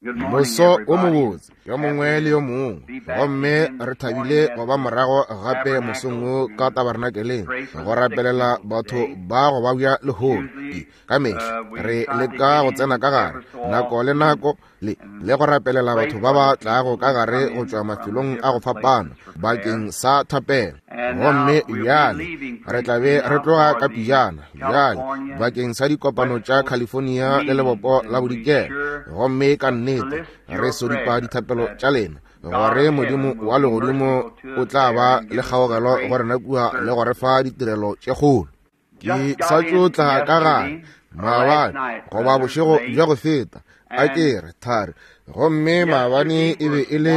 Moso o mobotse yo mongwe le yo mongwe, gomme re thabile go ba morago gape mosong wo ka tabernakeleng go rapelela batho ba go babja lehono. Ka mehla re leka go tsena ka gare nako le nako le le go rapelela batho ba ba tlago ka gare go tšwa mafelong a go fapana bakeng sa thapelo. Gomme bjale re tla be re tloga ka pijana bjale bakeng sa dikopano tša California le lebopo la bodikela, gomme ka nnete re sodipa dithapelo tša lena gore Modimo wa legodimo o tla ba le kgaogelo go rena kua le go re fa ditirelo tše kgolo. Ke sa tšo tla ka gare maabane goba bošego bja go feta, a ke re thari, gomme maabane e be e le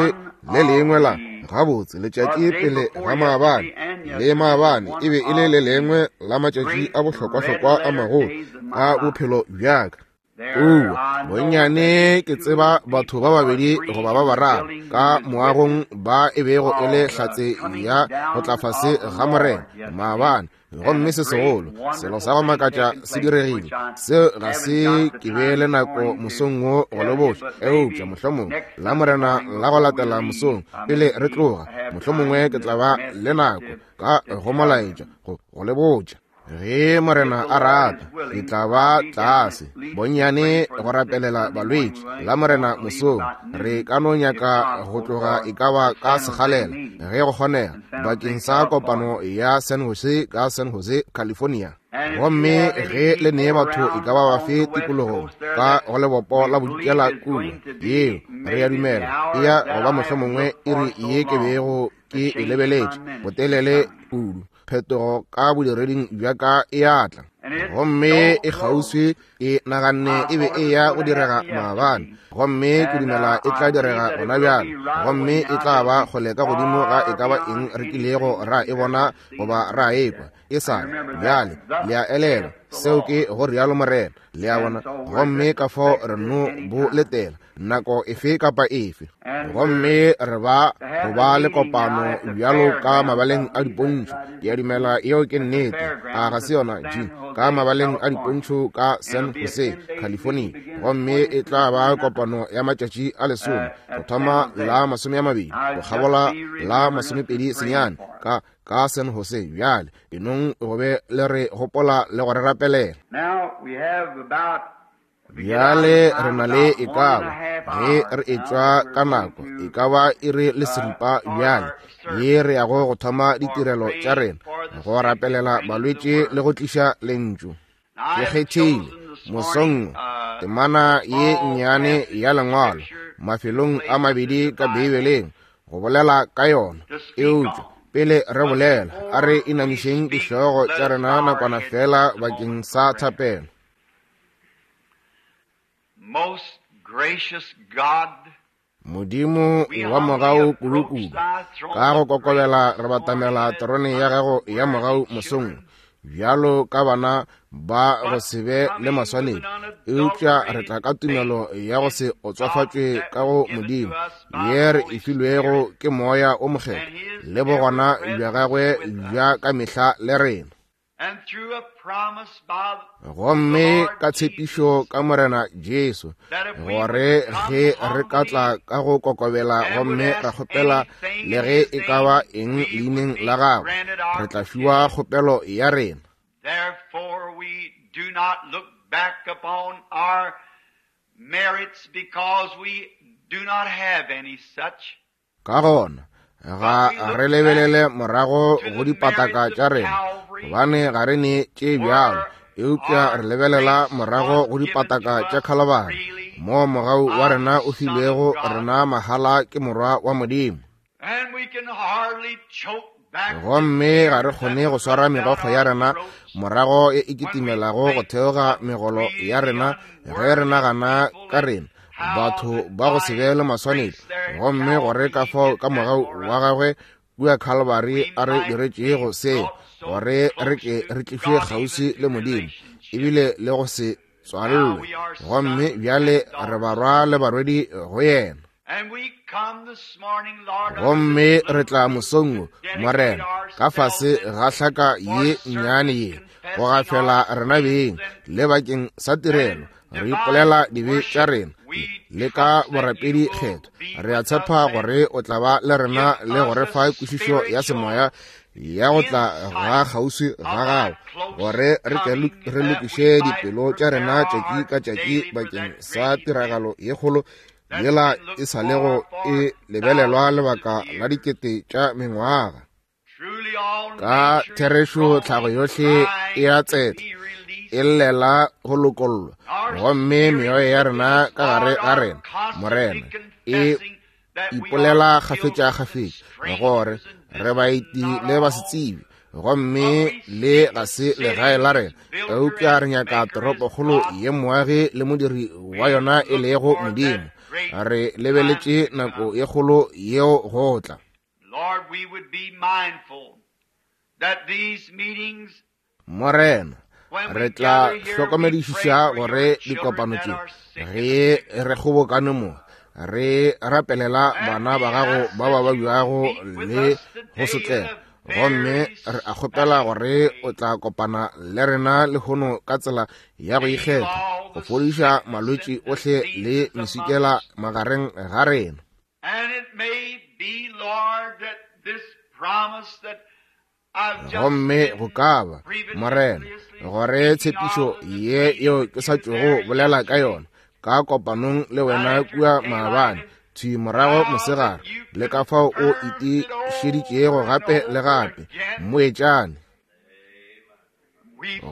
le lengwe la gabotse letšatši pele ga maabane, le maabane e be e le le lengwe la matšatši a bohlokwahlokwa a magolo a bophelo bjaka. Kua bonnyane ke tseba batho ba babedi goba ba bararo ka moagong ba e bego e le hlatse ya go tla fase ga Morena maabane, gomme se segolo selo sa go makatša se diregile. Seo ga se ke be le nako mosong wo go le botša, eupša mohlomongwe la Morena la go latela mosong pele re tloga, mohlomongwe ke tla ba le nako ka go molaetša go le botša. Ge Morena a rata, ke tla ba tlase bonnyane go rapelela balwetši la Morena mosong. Re ka no nyaka go tloga e ka ba ka segalela ge go kgonega bakeng sa kopano ya San Jose ka San Jose, California. Gomme ge le nee batho e ka ba bafe tikologong ka go lebopo la bodikela kua, yeo re ya dumela e ya go ba mohlomongwe iri ye ke bego ke e lebeletše botelele kudu. Phetogo ka bodireding bja ka e a tla, gomme e kgauswi. Ke naganne e be e ya go direga maabane, gomme ke dumela e tla direga gona bjale, gomme e tla ba kgole ka godimo ga e ka ba eng re kilego ra e bona goba ra e kwa e sa le bjale. Le a elelwa, seo ke go rialo Morena. Le a bona? Gomme ka fao re no bo letela nako efe kapa efe, gomme re ba go ba le kopano bjalo ka mabaleng a dipontšho. Ke a dumela yeo ke nnete, a ga se yona, Gene? Ka mabaleng a dipontšho ka San Jose, California, gomme e tla ba kopano ya matšatši a lesome go thoma la 20 go kgabola la 29 ka ka San Jose. Bjale enong go be le re gopola le go re rapelela. Bjale re na le e ka ba ge re etšwa ka nako e ka ba iri le seripa bjale ye re yago go thoma ditirelo tša rena go rapelela balwetši le go tliša lentšu. Ke kgethile mosong temana ye nnyane ya lengwalo mafelong a mabedi ka Beibeleng go bolela ka yona, eupša pele re bolela a re inamišeng dihlogo tša rena nakwana fela bakeng sa thapelo. Most gracious God, Modimo wa mogau kudu-kudu, ka go kokobela re batamela terone ya gago ya mogau mosong bjalo ka bana ba go se be le maswanedi, eupša re tla ka tumelo ya go se otswafatšwe ka go Modimo ye re e filwego ke Moya o Mokgethwa le bogona bja gagwe bja ka mehla le rena. Gomme ka tshepišo ka Morena Jesu, gore ge re ka tla ka go kokobela gomme ra kgopela le ge e ka ba eng leineng la gagwe, re tla fiwa kgopelo ya rena. Therefore we do not look back upon our merits because we do not have any such. Ka gona ga re lebelele morago go dipataka tša rena, gobane ga re ne tše bjalo, eupša re lebelela morago go dipataka tša Khalabari, moo mogau wa rena o filwego rena mahala ke Morwa wa Modimo. Gomme ga re kgone go swara megokgo ya rena morago e e kitimelago go theoga megolo ya rena ge re nagana ka rena batho ba go se be le maswanedi, gomme gore ka fao ka mogau wa gagwe kua Calvary a re diretšego se, gore re ke re tlišwe kgauswi le Modimo, ebile le go se tswalelwe, gomme bjale re barwa le barwedi go yena. Gomme re tla mosong wo, Morena, ka fase ga hlaka ye nnyane ye, go gafela rena beng le bakeng sa tirelo, re ipolela dibe tša rena le ka borapedi kgetho. Re a tshepa gore o tla ba le rena le go re fa kwešišo ya semoya ya go tla ga kgauswi ga gago, gore re tle re lokiše dipelo tša rena tšatši ka tšatši bakeng sa tiragalo ye kgolo yela e sa lego e lebelelwa lebaka la dikete tša mengwaga. Ka therešo tlhago yohle e a tsetla, e llela go lokollwa, gomme meoya ya rena ka gare ga rena, Morena, e ipolela kgafetša-kgafetša gore re baeti le basetsebi, gomme le ga se legae la rena, eupša re nyaka toropokgolo ye moagi le modiri wa yona e lego Modimo. Re lebeletše nako ye kgolo yeo go tla. Morena, re tla hlokomedišiša gore dikopano tše ge re kgobokane mo, re rapelela bana ba gago ba ba babjago le go sotlega, gomme re a kgopela gore o tla kopana le rena lehono ka tsela ya go ikgetha, go fodiša malwetši ohle le meswikela magareng ga rena. Gomme go ka ba, Morena, gore tshepišo ye yeo ke sa tšogo bolela ka yona ka kopanong le wena kua maabane thwi morago mosegare, le ka fao o itišeditšego gape le gape, mmoetšane.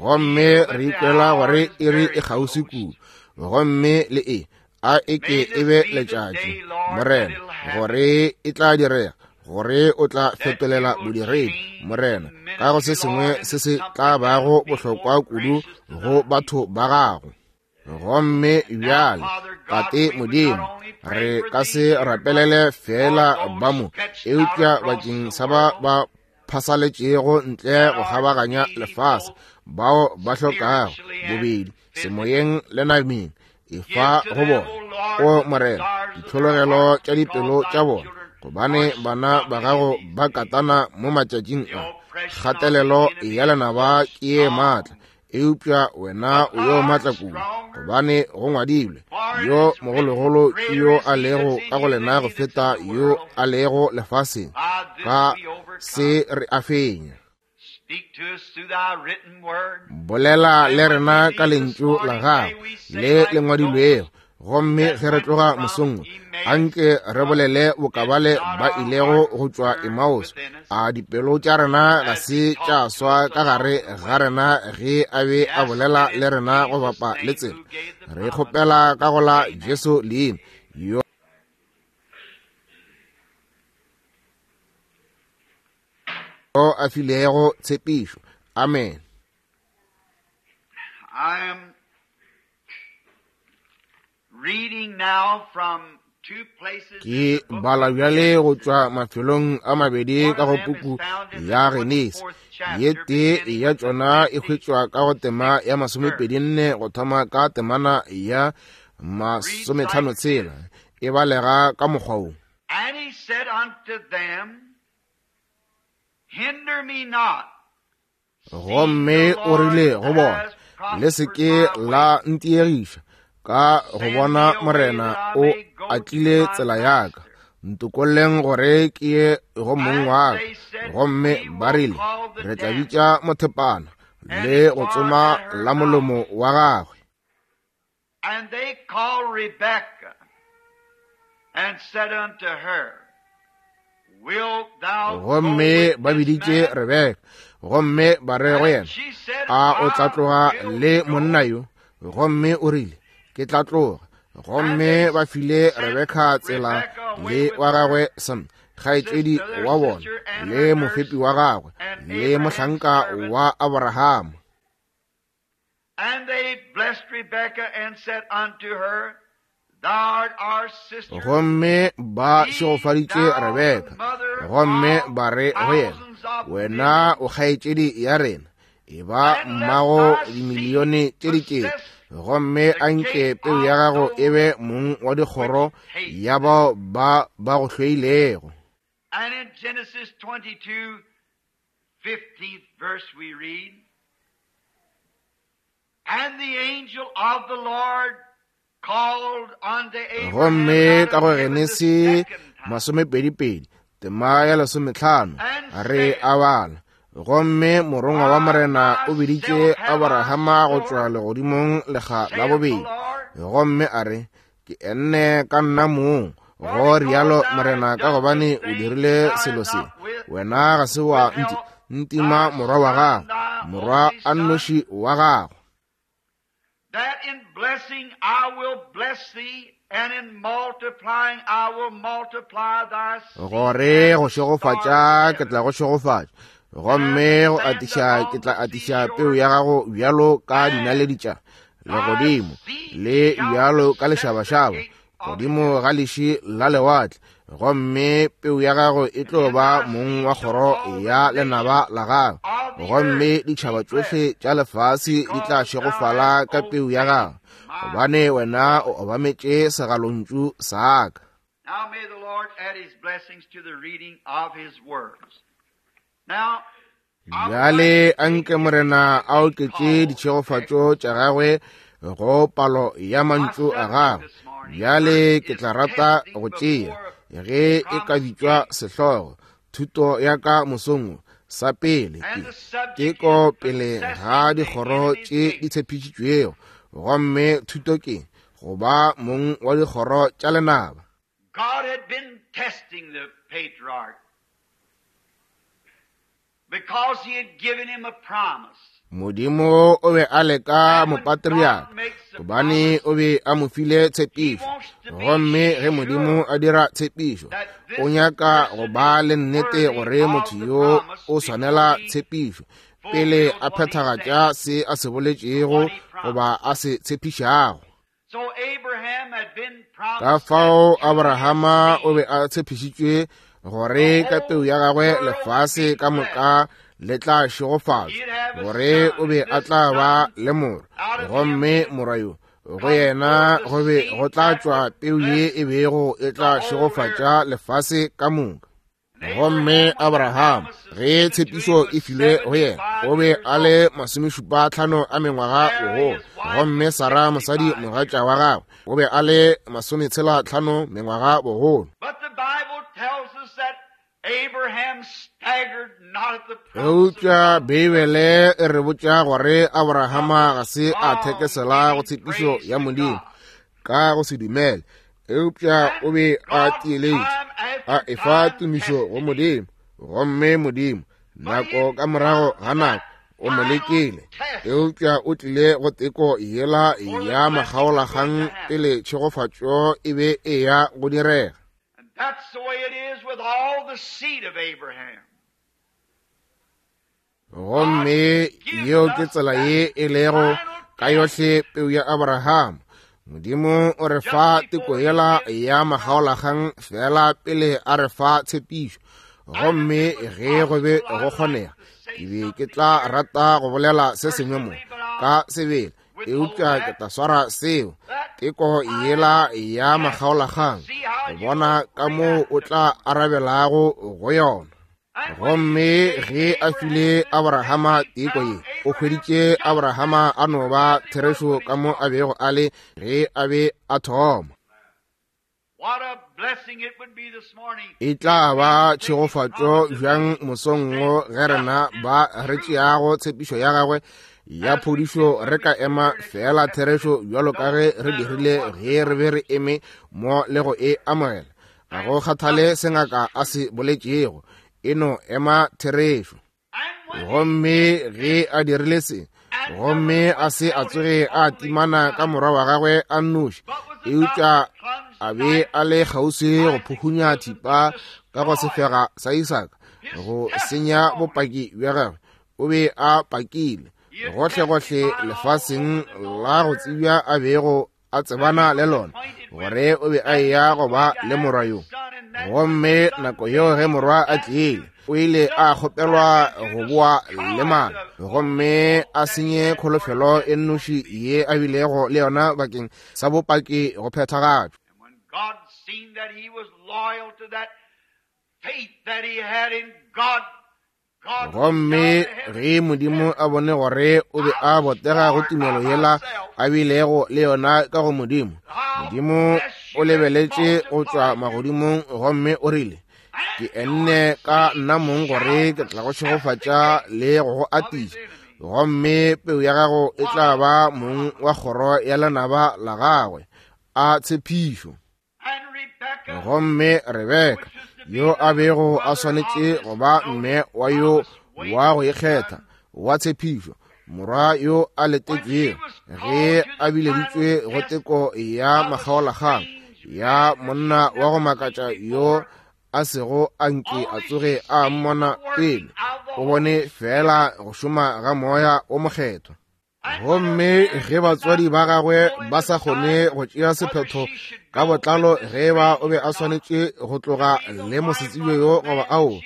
Gomme re ikwela gore iri e kgauswi kudu, gomme le e a e ke e be letšatši, Morena, gore e tla direga, gore o tla fetolela bodiredi, Morena, ka go se sengwe se se tla bago bohlokwa kudu go batho ba gago. Gomme bjale, Tate Modimo, re ka se rapelele feela ba mo, eupša bakeng sa ba ba phasaletšego ntle go kgabaganya lefase, bao ba hlokago bobedi semoyeng le nameng, efa go bona, o Morena, ditlhologelo tša dipelo tša bona, gobane bana ba gago ba katana mo matšatšing a. Kgatelelo ya lenaba ke ye maatla, eupša wena o yo maatla kudu, gobane go ngwadilwe, yo mogologolo ke yo a lego ka go lena go feta yo a lego lefaseng. Ka se re a fenya. Bolela le rena ka lentšu la gago le le ngwadilwego, gomme ge re tloga mosong, anke re bolele bokabale ba ilego go tšwa Emmaus. A dipelo tša rena ga se tša swa ka gare ga rena ge a be a bolela le rena go bapa le tsela? Re kgopela ka go la Jesu leina yo a filego tshepišo. Amen. I am reading now from two places. Ke bala bjale go tšwa mafelong a mabedi ka go puku ya Genesi. Ye tee ya tšona e hwetšwa ka go tema ya 24 go thoma ka temana ya 56, e balega ka mokgwa wo. And he said unto them, Hinder me not. Gomme o rile go bona, Le se ke la ntiegiša, ka go bona Morena o atlile tsela ya ka, ntokolleng gore ke ye go mong wa ka. Gomme ba rile, Re tla bitša mothepana le go tsoma la molomo wa gagwe. And they called Rebekah and said unto her, Wilt thou go Gomme with ba this biditše man? Rebeka, gomme ba re go And yena, she said, A o tla I tloga will le go. monna yo? Gomme o rile, Ke tla tloga. And Gomme they ba file sent Rebeka tsela Rebekah away le with wa her gagwe Sam, kgaetšedi sister, their wa bona, sister, and le her mofepi nurse, wa gagwe, and le Abraham's mohlanka servant. wa Abrahama. And they blessed Rebekah and said unto her, Thou art our sister, Gomme ba be šegofaditše thou the Rebeka, mother gomme of ba re go yena, thousands of Wena millions, o kgaetšedi ya rena, e ba and let mmago thy seed dimilione tše dikete, possess gomme the anke gate peu ya of gago e those be mong wa which dikgoro hate ya thee. bao ba ba go hloilego. And in Genesis 22, 15th verse we read, And the angel of the Lord called unto Abraham Gomme out of ka go heaven the Genesi second time, 22, tema ya 15, re a bala: Gomme morongwa wa Morena o biditše Aborahama go tšwa legodimong lekga la saith the bobedi, Lord, gomme a re, Ke enne ka nna mong, go rialo Morena, ka gobane o dirile selo se. Wena ga se wa ntima morwa wa gago, morwa a nnoši wa gago. that in blessing I will bless thee, and in multiplying I will multiply thy seed Gore as go the stars šegofatša of ke heaven. tla go šegofatša, gomme go atiša ke tla atiša peu ya gago bjalo ka dinaledi tša legodimo, le bjalo ka lešabašaba godimo ga leši la lewatle, gomme peu ya gago e tlo ba mong wa kgoro ya lenaba la gago, gomme ditšhaba tšohle tša lefase di tla šegofala ka peu ya gago, gobane wena o obametše segalontšu sa ka. Now may the Lord add his blessings to the reading of his words. Now, I would like Bjale to take anke this Morena time a to oketše call ditšhegofatšo tša gagwe go palo ya my mantšu a subject gagwe. this morning Bjale ke is tla rata testing go tšea, before ge the e ka promised bitšwa gate. sehlogo, thuto ya ka mosong wo, sa pele And ke the subject is teko pele ga possessing the dikgoro enemy's tše di gate. tshepišitšwego, gomme thuto ke go ba mong wa dikgoro tša lenaba. God had been testing the patriarch because he had given him a promise. Modimo o be a leka And when God mopatriarka makes a gobane promise, o be a mo file he tshepišo. wants to be Gomme ge Modimo sure a dira tshepišo, that o this nyaka go person ba is le nnete worthy gore of motho the yo promise o before swanela he tshepišo pele fulfills a what he phethagatša said se a se or boletšego what he promised. goba a se tshepišago. So Abraham had been Ka promised that fao through his Abrahama o be seed a tshepišitšwe the gore ka peu whole ya gagwe world would lefase be ka blessed. moka le tla šegofatšwa, He'd have a gore son, o be and a this tla ba son le morwa, out of him gomme should morwa yo go come yena forth the go be seed go tla that tšwa would peu ye bless e bego e the tla whole earth. šegofatša lefase ka moka. And Gomme Abraham, when the Abraham, promises ge given to him, tshepišo was e filwe go yena, o 75 be years a old. le 75 a mengwaga Sarah, bogolo, his wife, gomme was Sara mosadi 65 years mogatša wa old. gagwe o be a le 65 mengwaga bogolo. But the Bible tells us that Abraham staggered not at the promise of Eupša God, Beibele e re botša gore but Abrahama was ga se a strong, thekesela go giving tshepišo praise ya to Modimo God. ka go se dumele, eupša o And be a God, tiiletše, time a after efa time, tumišo go tested him. Modimo. Gomme Modimo, But nako he'd ka morago come ga to nako, that o mo final lekile, test eupša o tlile go teko yela before the ya blessing was going to makgaolakgang happen. pele tšhegofatšo e be e ya go direga. And that's the way it is with all the seed of Abraham. God Gomme gives yeo ke us tsela that ye e lego final ka test yohle peu ya Abraham. Modimo o re just fa teko before he yela gives ya the promise. makgaolakgang fela pele a re fa tshepišo. And if Gomme it was ge go be possible, go I'd like kgonega, to say ke be ke something tla here rata go bolela se sengwe mo personally, but I'll ka sebele, withhold eupša ke that. tla swara seo That teko yela final ya test to makgaolakgang see how go you bona will ka moo react o to tla it. arabelago go yona. And when he Gomme gave ge a Abraham file this test, Abrahama he teko ye, found o Abraham hweditše just Abrahama as a no ba true as he was therešo when he ka mo a started. bego a le ge a be a thoma. What a blessing it would be this morning E if tla we ba would take his tšhegofatšo promise of bjang healing mosong and wo stand ge rena just as ba re true tšeago tshepišo ya gagwe ya as we did phodišo when re we ka stood ema here and fela accepted therešo it, bjalo ka no ge re matter dirile what the ge re be doctor re eme mo le go e amogela. Ga go and kgathale just se as ngaka a true. se boletšego, e no ema therešo. And when he Gomme did ge this a dirile se, and never gomme a se a withheld his tsoge a only timana ka son, morwa wa gagwe a nnoši, but was about eupša to plunge a the be knife a le kgauswi go Isaac's phuhunya bosom to thipa ka go destroy sefega sa Isaka his go senya testimony. bopaki bja gagwe. O be a pakile He had gohlegohle testified all lefaseng over the la go known earth tsebja a bego a that he tsebana le was lona acquainted with, gore o be a that he eya was go going ba to le have morwa his yo. son, and that when the Gomme son nako came, yeo ge he morwa was a asked tlile, to o ile a just kgopelwa and to go boa le destroy mana the only gomme hope a that he senye had for his kholofelo e testimony nnoši to be ye a bilego le yona bakeng sa bopaki go phethagatšwa. And when God seen that he was loyal to that faith that he had in God, Gomme ge Modimo a bone gore o be a botega go tumelo yela a bilego le yona ka go Modimo, Modimo o lebeletše go tšwa magodimong gomme o rile, Ke enne ka nna mong gore ke tla go šegofatša le go go atiša, gomme peu ya gago e tla ba mong wa kgoro ya lenaba la gagwe. A tshepišo! Gomme Rebeka, yo a bego a swanetše go ba mme wa yo wa go ikgetha wa tshepišo, morwa yo a letetšwego, ge a bileditšwe go teko ya makgaolakgang ya monna wa go makatša yo a sego a nke a tsoge a mmona pele, o bone feela go šoma ga Moya wo Mokgethwa. Gomme ge batswadi ba gagwe ba sa kgone go tšea sephetho ka botlalo ge ba o be a swanetše go tloga le mosetsebjo yo goba ao,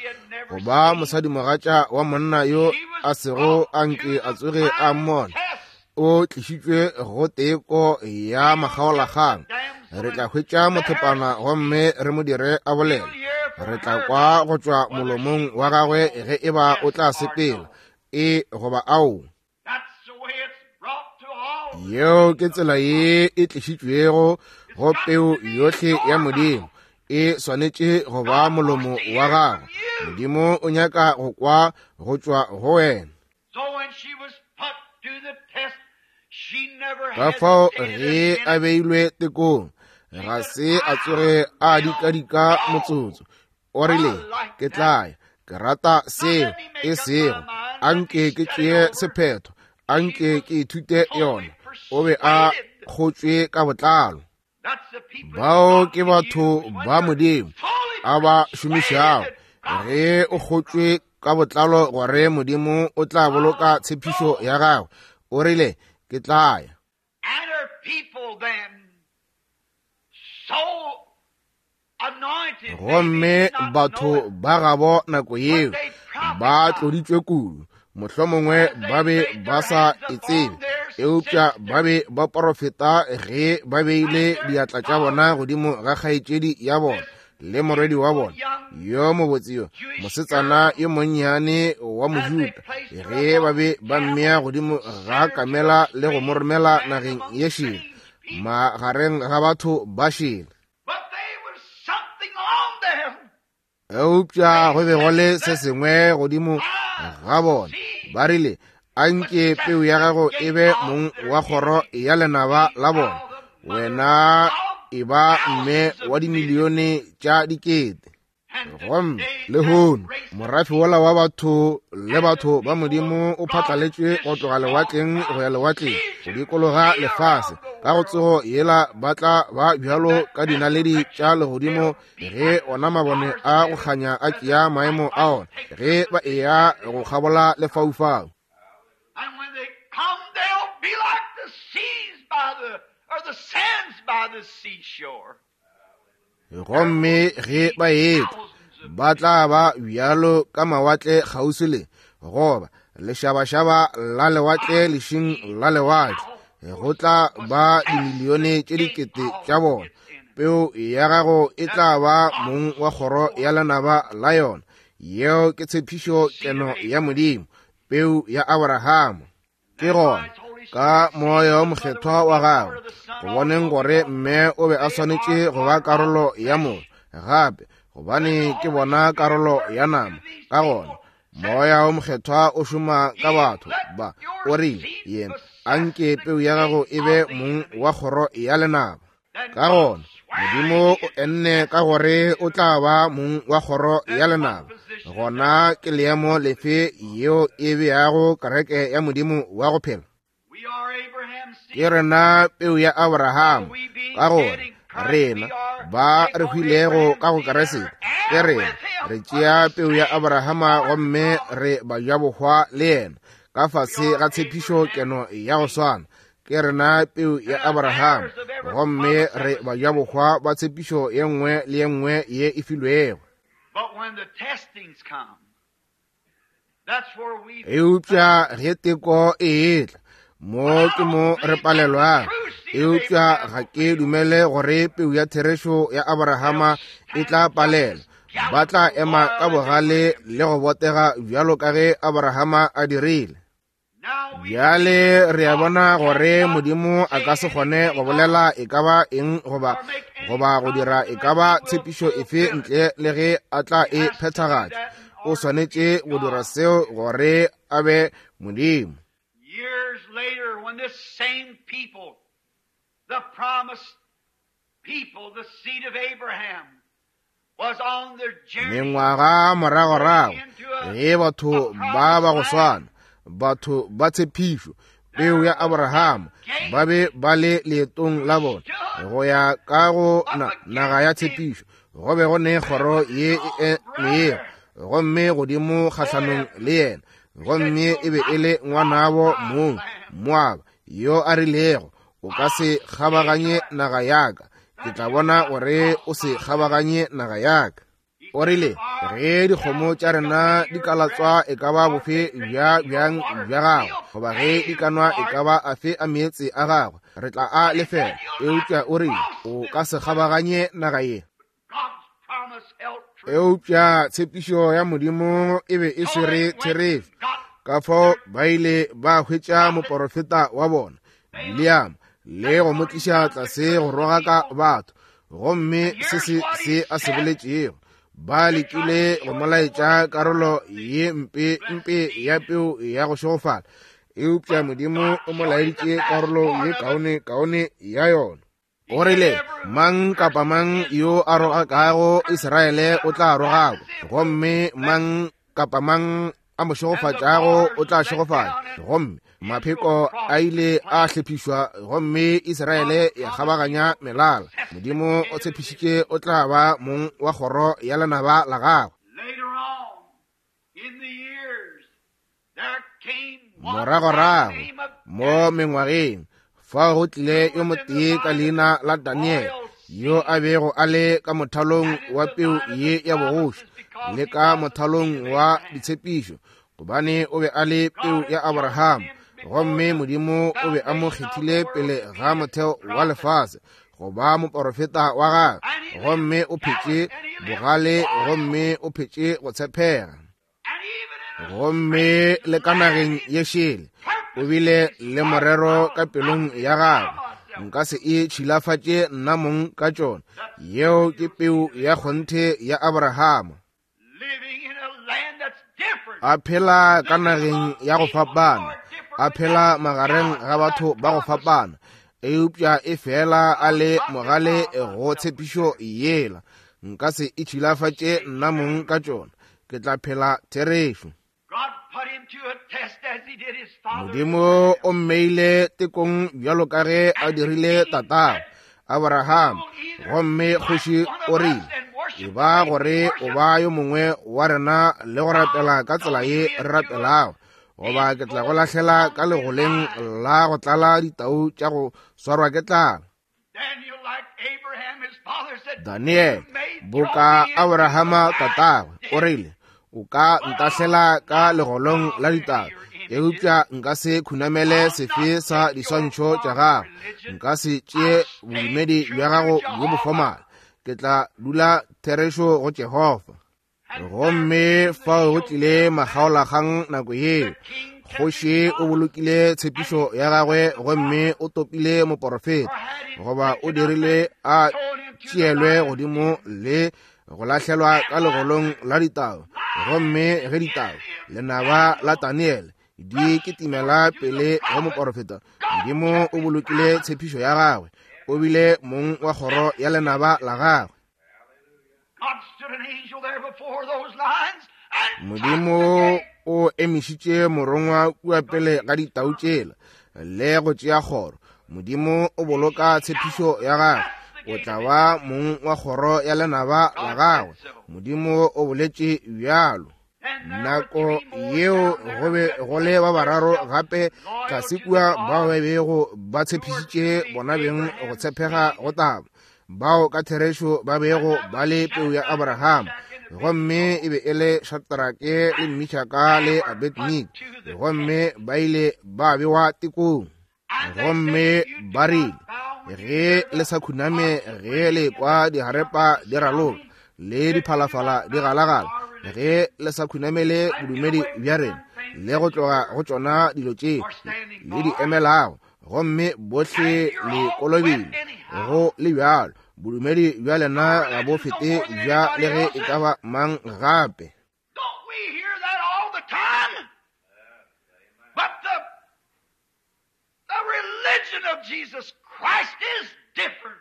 go ba mosadimogatša wa monna yo a sego a nke a tsoge a mmona, o tlišitšwe go teko ya makgaolakgang. Re tla hwetša mothepana gomme re mo dire a bolele. Re tla kwa go tšwa molomong wa gagwe ge e ba o tla sepela, e goba ao. Yeo ke tsela ye e tlišitšwego go peu yohle ya Modimo. E swanetše go ba molomo wa gagwe. Modimo o nyaka go kwa go tšwa go wena. Ka fao ge a beilwe tekong, ga se a tsoge a dikadika motsotso. O rile, Ke tla ya. Ke rata seo. E sego, a nke ke tšee sephetho, a nke ke ithute yona. O be a kgotšwe ka botlalo. Bao ke batho ba Modimo a ba šomišago. Ge o kgotšwe ka botlalo gore Modimo o tla boloka tshepišo ya gagwe, o rile, Ke tla ya. Gomme batho ba gabo nako yeo ba tloditšwe kudu, mohlomongwe ba be ba sa e tsebe, eupša ba be ba porofeta ge ba beile diatla tša bona godimo ga kgaetšedi ya bona le morwedi wa bona yo mobotse yo mosetsana yo monnyane wa Mojuda, ge ba be ba mmea godimo ga kamela le go mo romela nageng ye šele magareng ga batho ba šele. Eupša go be go le se sengwe godimo ga bona. Ba rile, A nke peu ya gago e be mong wa kgoro ya lenaba la bona. Wena e ba mme wa dimilione tša dikete. Gomme lehono morafe wola wa batho le batho ba Modimo o phatlaletšwe go tloga lewatleng go ya lewatleng go dikologa lefase. Ka go tsogo yela ba tla ba bjalo ka dinaledi tša legodimo ge ona mabone a go kganya a tšea maemo a ona ge ba eya go kgabola lefaufau. And when they come, they'll be like the seas by the, or the sands by the seashore. Gomme ge ba etla, ba tla ba bjalo ka mawatle kgauswi le, goba lešabašaba la lewatle lešing la lewatle. Go tla ba dimilione tše dikete tša bona. Peu ya gago e tla ba mong wa kgoro ya lenaba la yona. Yeo ke tshepišo keno ya Modimo, peu ya Abrahama. Ke gona, ka Moya wo Mokgethwa wa gagwe, go boneng gore mme o be a swanetše go ba karolo ya motho gape, gobane ke bona karolo ya nama. Ka gona Moya wo Mokgethwa o šoma ka batho ba. O rile, Yena, a nke peu ya gago e be mong wa kgoro ya lenaba. Ka gona Modimo o enne ka gore o tla ba mong wa kgoro ya lenaba. Gona ke leemo lefe yeo e beago kereke ya Modimo wa go phela? Ke rena peu ya Abraham. Ka gore rena ba re hwilego ka go Keresete, ke rena re tšea peu ya Abrahama gomme re bajabohwa le yena ka fase ga tshepišo keno ya go swana. Ke rena peu ya Abraham gomme re bajabohwa ba tshepišo ye nngwe le ye nngwe ye e filwego. Eupša ge teko e etla, mo ke mo re palelwago. Eupša ga ke dumele gore peu ya therešo ya Abrahama e tla palelwa. Ba tla ema ka bogale le go botega bjalo ka ge Abrahama a dirile. Bjale re a bona gore Modimo a ka se kgone go bolela e ka ba eng goba goba go dira e ka ba tshepišo efe ntle le ge a tla e phethagatša. O swanetše go dira seo gore a be Modimo. Years later, when this same people, the promised people, the seed of Abraham, was on their journey Mengwaga moragorago, ge batho ba ba go swana, batho ba tshepišo, peu ya Abraham, ba be ba le leetong la bona go ya ka go naga ya tshepišo, go be go ne kgoro ye e emego gomme godimo kgahlanong le yena, gomme e be e le ngwanabo mong Moaba yo a rilego, o ka se kgabaganye naga ya ka, ke tla bona gore o se kgabaganye naga ya ka. O rile, ge dikgomo tša rena di ka latswa e ka ba bofe bja bjang bja gago, goba ge di ka nwa e ka ba afe a meetse a gagwe, re tla a lefela. Eupša o rile, o ka se kgabaganye naga ye. God's promise held true. Eupša tshepišo ya Modimo e be e swere therešo. Ka fao ba ile ba hwetša moporofeta wa bona, Biliama, le go mo tliša tlase go rogaka batho. Gomme se se se a se boletšego, ba lekile go mo laetša karolo ye mpe mpe ya peu ya go šegofala, eupša Modimo o mo laeditše karolo ye kaone kaone ya yona. O rile, mang kapa mang yo a rogakago Israele o tla rogakwa, gomme mang kapa mang a mo šegofatšago o tla šegofatšwa. Gomme mapheko a ile a hlephišwa, gomme Israele ya kgabaganya melala. Modimo o tshepišitše o tla ba mong wa kgoro ya lenaba la gagwe. Later on in the years, there came one Moragorago by the name of mo mengwageng, fao go tlile yo motee ka leina la Daniel, yo a bego a le ka mothalong wa peu ye ya bogoši le ka mothalong wa ditshepišo, gobane o be a le peu ya Abraham, gomme Modimo o be a mo kgethile pele ga motheo wa lefase go ba moporofeta wa gagwe, gomme o phetše bogale, gomme o phetše go tshepega. Gomme le ka nageng ye šele o bile le morero ka pelong ya gagwe, nka se e tšhilafatše nna mong ka tšona. Yeo ke peu ya kgonthe ya Abrahama, living in a land that's different. a phela ka nageng ya go fapana, a phela magareng ga batho ba go fapana, eupša e fela a le mogale go tshepišo yela. Nka se e tšhilafatše nna mong ka tšona, ke tla phela therešo. God put him to a test as he did his father. Modimo o mmeile tekong bjalo ka ge a dirile tatago Abraham, gomme kgoši o rile, e ba gore o ba yo mongwe wa rena le go rapela ka tsela ye re rapelago, goba ke tla go lahlela ka legoleng la go tlala ditau tša go swarwa ke tlala. Daniel, like Abraham, his father, said, Daniel, "You may throw boka me into Abrahama the fire." tatagwe, o rile, o ka ntahlela ka legolong la ditau, eupša nka se khunamele sefe sa diswantšho tša gago, nka se tšee bodumedi bja gago bjo bo fomala, ke tla dula therešo go Jehofa. Gomme fao go tlile makgaolakgang nako yeo. Kgoši o bolokile tshepišo ya gagwe, gomme o topile moporofeta, goba o dirile a tšeelwe godimo le go lahlelwa ka legolong la ditau. Gomme ge ditau, lenaba la Daniel, di kitimela pele go moporofeta, Modimo o bolokile tshepišo ya gagwe, o bile mong wa kgoro ya lenaba la gagwe. God stood an angel there before those lions and Modimo o emišitše morongwa kua pele ga ditau tšela le go tšea kgoro. Modimo o boloka tshepišo ya gagwe, o tla ba mong wa kgoro ya lenaba la gagwe. Modimo o boletše bjalo. Nako yeo go be go le ba bararo gape tlase kua bao ba bego ba tshepišitše bona beng go tshepega go taba, bao ka therešo ba bego ba le peu ya Abraham, gomme e be e le Shadrake le Mishaka le Abednego, gomme ba ile ba bewa tekong. Gomme ba rile, ge le sa khuname ge le kwa diharepa di raloka, le diphalafala di galagala, ge le sa khunamele bodumedi bja rena le go tloga go tšona dilo tše le di emelago, gomme bohle le kolobile, go le bjalo bodumedi bja lena ga bo fete bja le ge e ka ba mang gape.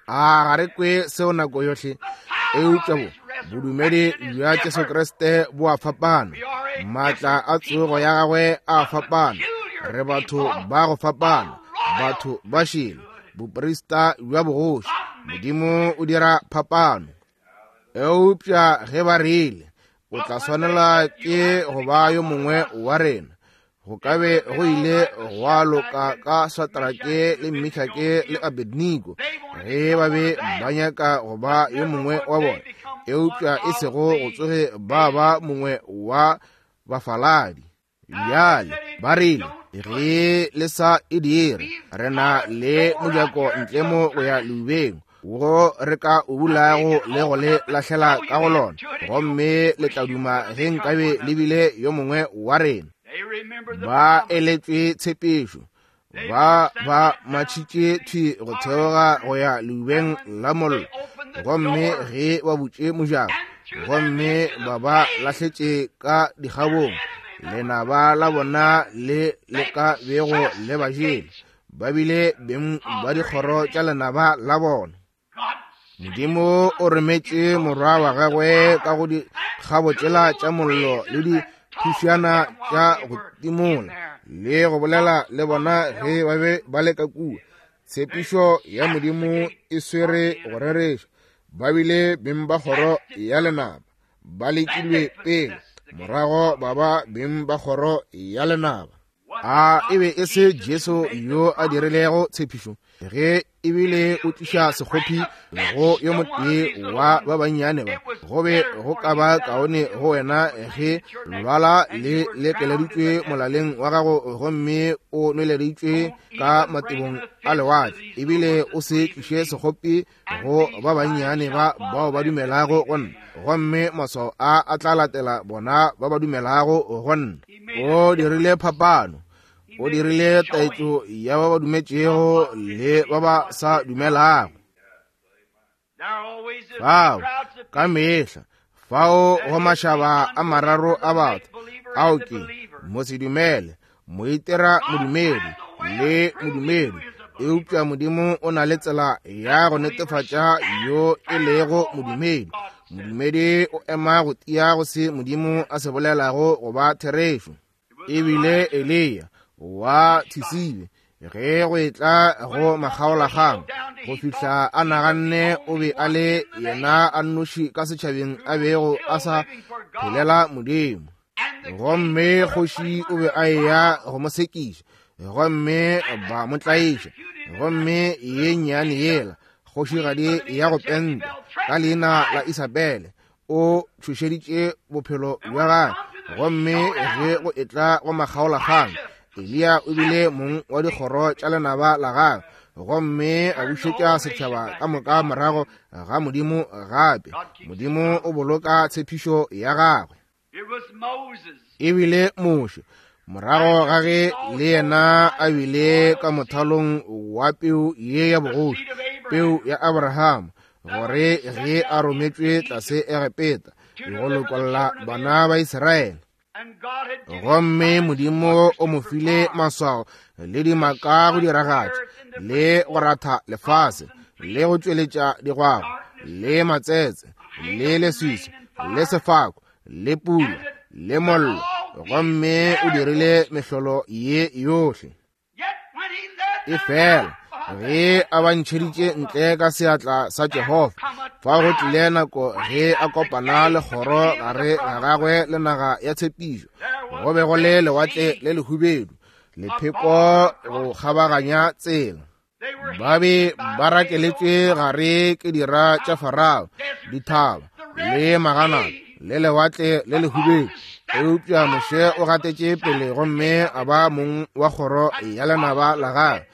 A ga re kwe seo nako yohle? Eupša bo bodumedi bja Jesu Kriste bo a fapana, maatla a tsogo ya gagwe a fapana. Re batho ba go fapana, batho ba šele, boprista bja bogoši. Modimo o dira phapano. Eupša ge ba rile o tla swanela ke go ba yo mongwe wa rena, go ka be go ile gwa loka ka Satrake le Mishake le Abednego ge ba be ba nyaka go ba yo mongwe wa bona, eupša e sego go tsoge ba ba mongwe wa bafaladi. Bjale ba rile, ge le sa e dire, re na le mojako ntle mo go ya leubeng wo re ka o bulago le go le lahlela ka go lona, gomme le tla duma ge nkabe le bile yo mongwe wa rena. Ba eletšwe tshepišo, ba ba matšhitše thwi go theoga go ya leubeng la mollo, gomme ge ba butše mojako gomme ba ba lahletše ka dikgabong, lenaba la bona le le ka bego le ba jele, ba bile beng ba dikgoro tša lenaba la bona. Modimo o rometše morwa wa gagwe ka go dikgabo tšela tša mollo le diphušana tša go timola le go bolela le bona ge ba be ba le ka kua. Tshepišo ya Modimo e swere go rereša. Ba bile beng ba kgoro ya lenaba, ba lekilwe pele, morago ba ba beng ba kgoro ya lenaba. A e be e se Jesu yo a dirilego tshepišo ge ebile o tliša sekgopi go yo motee wa ba bannyane ba? Go be go ka ba kaone go wena ge lwala le lekeleditšwe molaleng wa gago gomme o nweleditšwe ka matebong a lewatle, ebile o se tliše sekgopi go ba bannyane ba bao ba dumelago go nna, gomme maswao a a tla latela bona ba ba dumelago go nna. O dirile phapano, o dirile taetšo ya ba ba dumetšego le ba ba sa dumelago. Fao ka mehla fao go mašaba a mararo a batho, ao ke mosedumele, moitera modumedi le modumedi. Eupša Modimo o na le tsela ya go netefatša yo e lego modumedi. Modumedi o ema go tia go se Modimo a se bolelago go ba therešo. Ebile Eliya wa Thisibe, ge go etla go makgaolakgang, go fihla a naganne o be a le yena a nnoši ka setšhabeng a bego a sa phelela Modimo. Gomme kgoši o be a eya go mo sekiša, gomme ba mo tlaiša, gomme ye nnyane yela kgošigadi ya go penta ka leina la Isabele o tšhošeditše bophelo bja gagwe. Gomme ge go etla go makgaolakgang, Eliya o bile mong wa dikgoro tša lenaba la gagwe, gomme a bušetša setšhaba ka moka morago ga Modimo gape. Modimo o boloka tshepišo ya gagwe. Ebile Moshe, morago ga ge le yena a bile ka mothalong wa peu ye ya bogoši, peu ya Abraham, gore ge a rometšwe tlase Egepeta go lokolla bana ba Israele, gomme Modimo o mo file maswao le dimaka go diragatša le go ratha lefase le go tšweletša digwagwa le matsetse le leswiswi le sefako le pula le mollo, gomme o dirile mehlolo ye yohle. E fela ge a ba ntšheditše ntle ka seatla sa Jehofa, fa go tlile nako ge a kopana le kgoro gare ga gagwe le naga ya tshepišo, go be go le lewatle le lehubedu, lepheko go kgabaganya tsela. Ba be ba rakeletšwe gare ke dira tša Farao, dithaba le magana le lewatle le lehubedu. Eupša Moshe o gatetše pele gomme a ba mong wa kgoro ya lenaba la gagwe,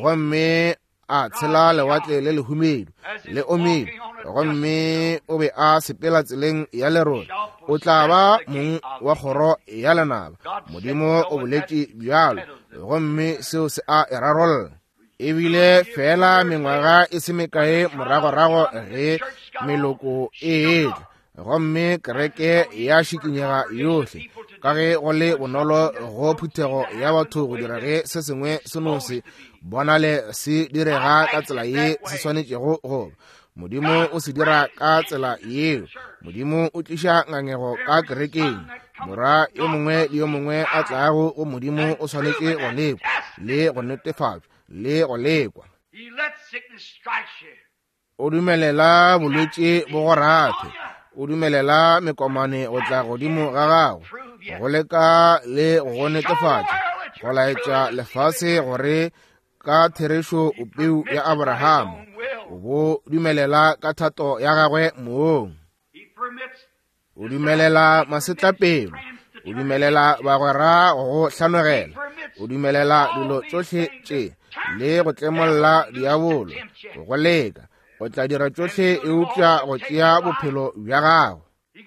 gomme a tshela lewatle le lehumedu le omile, gomme o be a sepela tseleng ya lerole, o tla ba mong wa kgoro ya lenaba. Modimo o boletše bjalo, gomme seo se a e rarolla. Ebile fela mengwaga e se mekae moragorago ge meloko e etla, gomme kereke ya šikinyega yohle, ka ge go le bonolo go phuthego ya batho go dira ge se sengwe se no se bonale se direga ka tsela ye se swanetšego go ba. Modimo o se dira ka tsela yeo. Modimo o tliša ngangego ka kerekeng. Morwa yo mongwe le yo mongwe a tlago go Modimo o swanetše go lekwa le go netefatšwa le go lekwa. O dumelela bolwetši bo go rathe, o dumelela mekomane go tla godimo ga gago, go leka le go netefatša, go laetša lefase gore ka therešo o peu ya Abrahama. O bo dumelela ka thato ya gagwe mong. O dumelela masetlapelo, o dumelela bagwera go hlanogela, o dumelela dilo tšohle tše le go tlemolla diabolo, go leka, o tla dira tšohle eupša go tšea bophelo bja gago.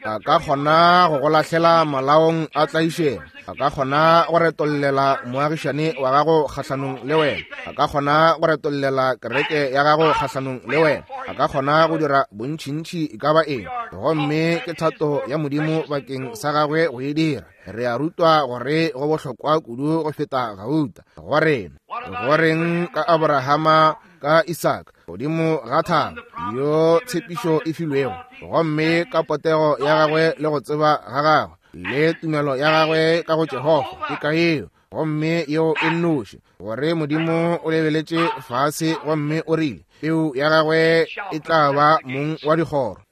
A ka kgona go go lahlela malaong a tlaišego, a ka kgona go retollela moagišane wa gago kgahlanong le wena, a ka kgona go retollela kereke ya gago kgahlanong le wena, a ka kgona go dira bontšintši e ka ba eng, gomme ke thato ya Modimo bakeng sa gagwe go e dira. Re a rutwa gore go bohlokwa kudu go feta gauta go rena. Go reng ka Abrahama ka Isaka godimo ga thaba yo tshepišo e filwego, gomme ka potego ya gagwe le go tseba ga gagwe le tumelo ya gagwe ka go Jehofa, ke ka yeo gomme yeo e nnoši gore Modimo o lebeletše fase gomme o rile peu ya gagwe e tla ba mong wa dikgoro.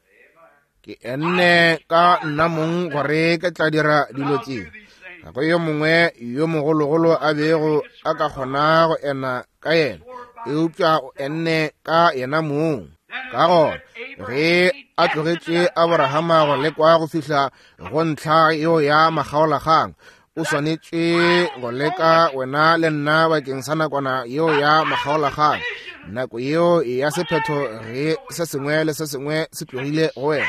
Ke enne ka nna mong gore ke tla dira dilo tše. Ga go yo mongwe yo mogologolo a bego a ka kgona go ena ka yena, eupša o enne ka yena mong. Ka gona ge a tlogetše Abrahama go lekwa go fihla go ntlha yeo ya makgaolakgang, o swanetše go leka wena le nna bakeng sa nakwana yeo ya makgaolakgang, nako yeo ya sephetho ge se sengwe le se sengwe se tlogile go wena.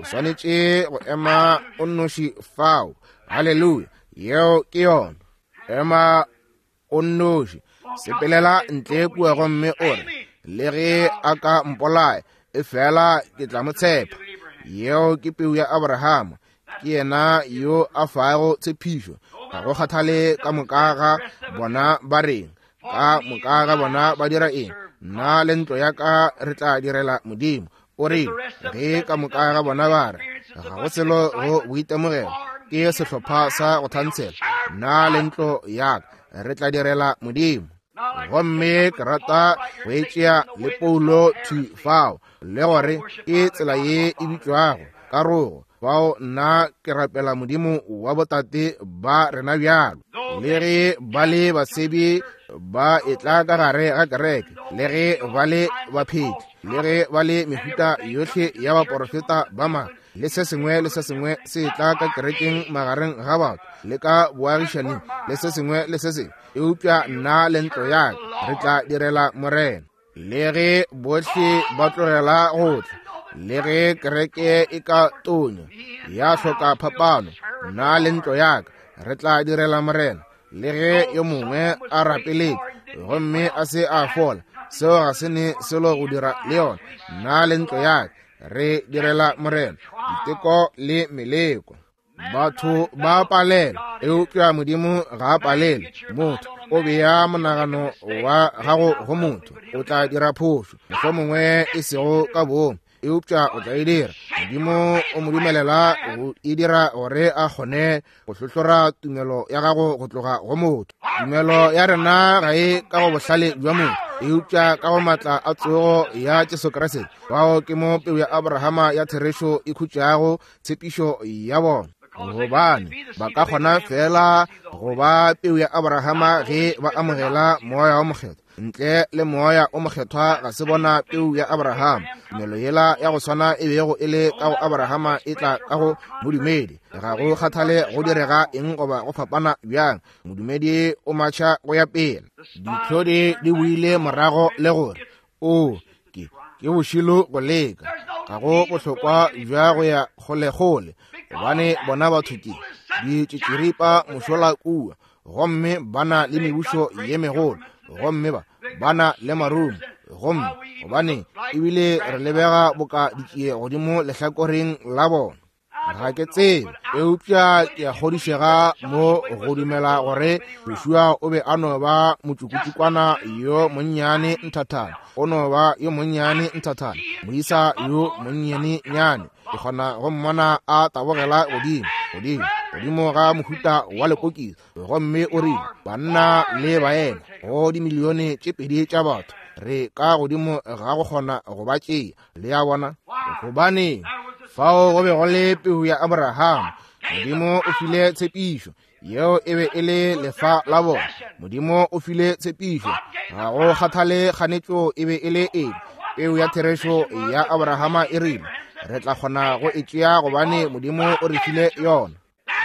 O swanetše go ema o nnoši fao. Haleluya! Yeo ke yona. Ema o nnoši, sepelela ntle kua gomme o re, le ge a ka mpolaya, efela ke tla mo tshepa. Yeo ke peu ya Abrahama. Ke yena yo a fago tshepišo. Ga go kgathale ka moka ga bona ba reng, ka moka ga bona ba dira eng, nna le ntlo ya ka re tla direla Modimo. O re ge ka moka ga bona ba re ga go selo go boitemogelo, ke sehlopha sa go thantshela, nna le ntlo ya ka re tla direla Modimo. Gomme ke rata go e tšea le Paulo thwi fao, le gore ke tsela ye e bitšwago karogo. Fao nna ke rapela Modimo wa botate ba rena bjalo, le ge ba le basebi ba etla ka gare ga kereke, le ge ba le baphetli, le ge ba le mehuta yohle ya baporofeta ba maaka, le se sengwe le se sengwe se etla ka kerekeng magareng ga batho, le ka boagišaning, le se sengwe le se sengwe, eupša nna le ntlo ya ka re tla direla Morena. Le ge bohle ba tlogela go tla, le ge kereke e ka tonya ya hloka phapano, nna le ntlo ya ka re tla direla Morena. Le ge yo mongwe a rapeletše gomme a se a fola, seo ga se ne selo go dira le yona. Nna le ntlo ya ka re direla Morena. Diteko le meleko, batho ba palela, eupša Modimo ga a palele. Motho o bea monagano wa gago go motho, o tla dira phošo, mohlomongwe e sego ka boomo, eupša o tla e dira. Modimo o mo dumelela go e dira gore a kgone go hlohlora tumelo ya gago go tloga go motho. Tumelo ya rena ga e ka go bohlale bja motho, eupša ka go matla a tsogo ya Jesu Kriste. Fao ke mo peu ya Abrahama ya therešo e khutšago tshepišo ya bona, gobane ba ka kgona fela go ba peu ya Abrahama ge ba amogela Moya wa Mokgethwa. Ntle le Moya o Mokgethwa ga se bona peu ya Abrahama. Tumelo yela ya go swana e bego e le ka go Abrahama e tla ka go modumedi. Ga go kgathale go direga eng goba go fapana bjang, modumedi o matšha go ya pele. Ditlhodi di boile morago le gore, O, ke, ke bošilo go leka. Ga go bohlokwa bja go ya kgolekgole, gobane bona batho ke ditšitširipa mošola kua, gomme ba na le mebušo ye megolo, gomme ba na le marumo, gomme gobane ebile re lebega boka ditšie godimo lehlakoreng la bona. Ga ke tsebe, eupša ke a kgodišega mo go dumela gore Joshua o be a no ba motšukutšukwana yo monnyane nthathana, o no ba yo monnyane nthathana, moisa yo monnyanenyane. Ke kgona go mmona a tabogela godimo, godimo, godimo ga mohuta wa lepokisi, gomme o rile, Banna le baena, go dimilione tše pedi tša batho, re ka godimo ga go kgona go ba tšea. Le a bona? Gobane fao go be go le peu ya Abraham. Modimo o file tshepišo, yeo e be e le lefa la bona. Modimo o file tshepišo, ga go kgathale kganetšo e be e le eng. Peu ya therešo ya Abrahama e rile, re tla kgona go e tšea gobane Modimo o re file yona.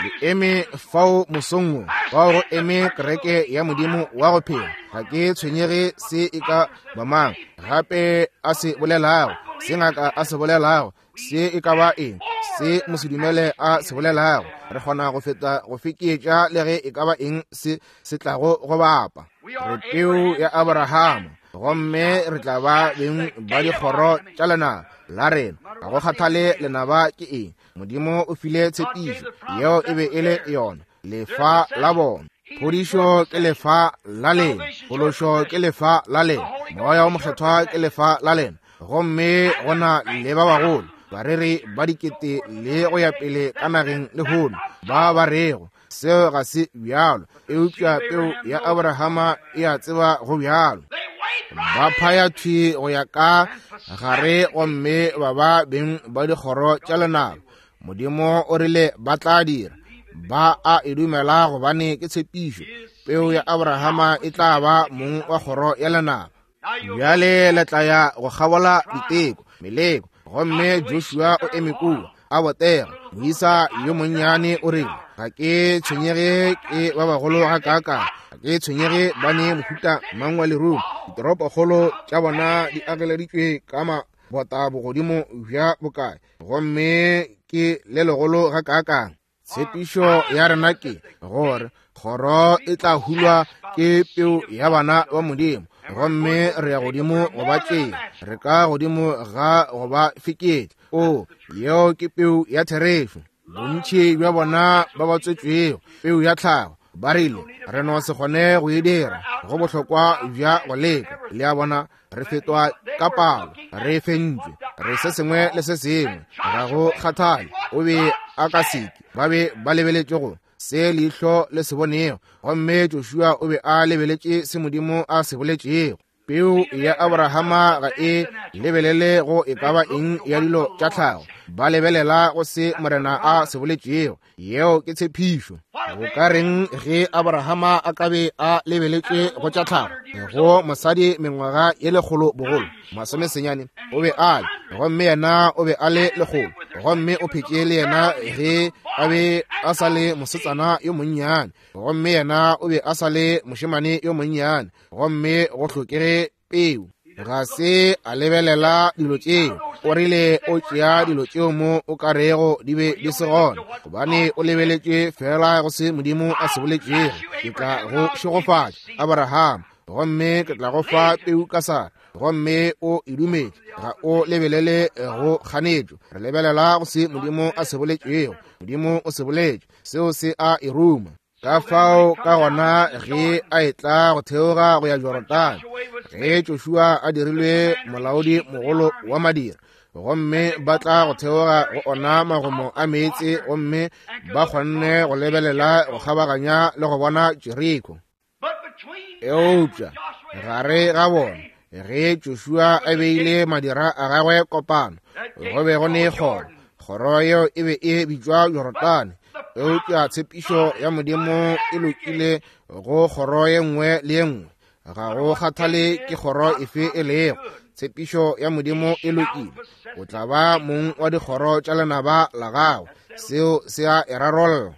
Le eme fao mosong wo, fao go eme kereke ya Modimo wa go phela. Ga ke tshwenyege se e ka ba mang gape a se bolelago, se ngaka a se bolelago, se e ka ba eng se mosedumele a se bolelago. Re kgona go feta go fekeetša le ge e ka ba eng se se tlago go bapa. Re peu ya Abrahama, gomme re tla ba beng ba dikgoro tša lenaba la rena. Ga go kgathale lenaba ke eng, Modimo o file tshepišo, yeo e be e le yona lefa la bona. Phodišo ke lefa la lena, phološo ke lefa la lena, Moya o Mokgethwa ke lefa la lena. Gomme go na le ba bagolo, bareri ba dikete le go ya pele ka nageng lehono, ba ba rego seo ga se bjalo, eupša peu ya Abrahama e a tseba go bjalo. Ba phaya thwi go ya ka gare gomme ba ba beng ba dikgoro tša lenaba. Modimo o rile ba tla dira. Ba a e dumela gobane ke tshepišo. Peu ya Abrahama e tla ba mong wa kgoro ya lenaba. Bjale le tla ya go kgabola diteko, meleko. Gomme Joshua o eme kua a botega. Moisa yo monnyane o rile, ga ke tshwenyege ke ba bagolo ga kaakang, ga ke tshwenyege ba ne mohuta mang wa lerumo, ditoropokgolo tša bona di ageleditšwe ka mabota bogodimo bja bokae, gomme ke le legolo ga kaakang. Tshepišo ya rena ke gore kgoro e tla hulwa ke peu ya bana ba Modimo, gomme re ya godimo go ba tšea, re ka godimo ga go ba feketša. O, yeo ke peu ya therešo. Bontši bja bona ba ba tswetšwego peu ya tlhago ba rile, re no se kgone go e dira, go bohlokwa bja go leka. Le a bona, re fetwa ka palo, re fentšwe, re se sengwe le se sengwe. Ga go kgathale, o be a ka seke, ba be ba lebeletše go se leihlo le se bonego, gomme Joshua o be a lebeletše se Modimo a se boletšego. Peu ya Abrahama ga e lebelele go e ka ba eng ya dilo tša tlhago, ba lebelela go se Morena a se boletšego. Yeo ke tshepišo. Go ka reng ge Abrahama a ka be a lebeletše go tša tlhago, go mosadi mengwaga ye lekgolo bogolo, 90 o be a le, gomme yena o be a le lekgolo, gomme o phetše le yena ge a be a sa le mosetsana yo monnyane, gomme yena o be a sa le mošemane yo monnyane, gomme go hlokege peu. Ga se a lebelela dilo tšeo. O rile o tšea dilo tšeo mo o ka rego di be di se gona, gobane o lebeletše fela go se Modimo a se boletšego. Ke tla go šegofatša, Abraham, gomme ke tla go fa peu ka Sara, gomme o e dumetše. Ga o lebelele go kganetšo, re lebelela go se Modimo a se boletšego. Modimo o se boletše, seo se a e ruma. Ka fao ka gona ge a etla go theoga go ya Jorodane, ge Joshua a dirilwe molaodi mogolo wa madira, gomme ba tla go theoga go ona magomo a meetse, gomme ba kgonne go lebelela go kgabaganya le go bona Jeriko. Eupša gare ga bona, ge Joshua a beile madira a gagwe kopano, go be go ne kgoro. Kgoro yeo e be e bitšwa Jorodane, eupša tshepišo ya Modimo e lokile go kgoro ye nngwe le ye nngwe. Ga go kgathale ke kgoro efe e lego, tshepišo ya Modimo e lokile. O tla ba mong wa dikgoro tša lenaba la gago. Seo se a e rarolla.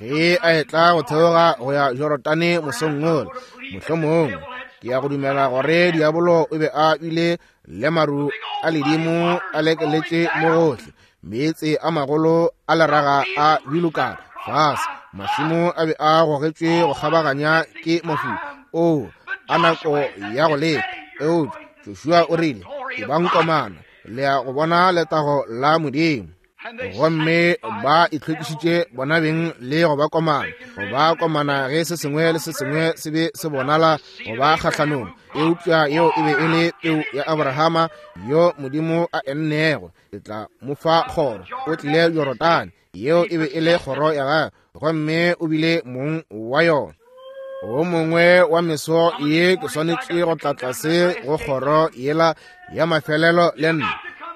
Ge a etla go theoga go ya Jorodane mosong wola, mohlomongwe ke ya go dumela gore diabolo o be a bile le maru a ledimo a lekeletše mo gohle, meetse a magolo a leraga a bilokana fase, mašemo a be a gogetšwe go kgabaganya ke mafula. Oo, a nako ya go leka. Eupša Joshua o rile, Ebang komana, le ya go bona letago la Modimo. Gomme ba itlhwekišitše bona beng le go ba komana, go ba komana ge se sengwe le se sengwe se be se bonala go ba kgahlanong. Eupša yeo e be e le peu ya Abrahama yo Modimo a ennego, ke tla mo fa kgoro. O tlile Jorodane, yeo e be e le kgoro ya gagwe, gomme o bile mong wa yona. O mongwe wa meso ye ke swanetše go tla tlase go kgoro yela ya mafelelo le nna.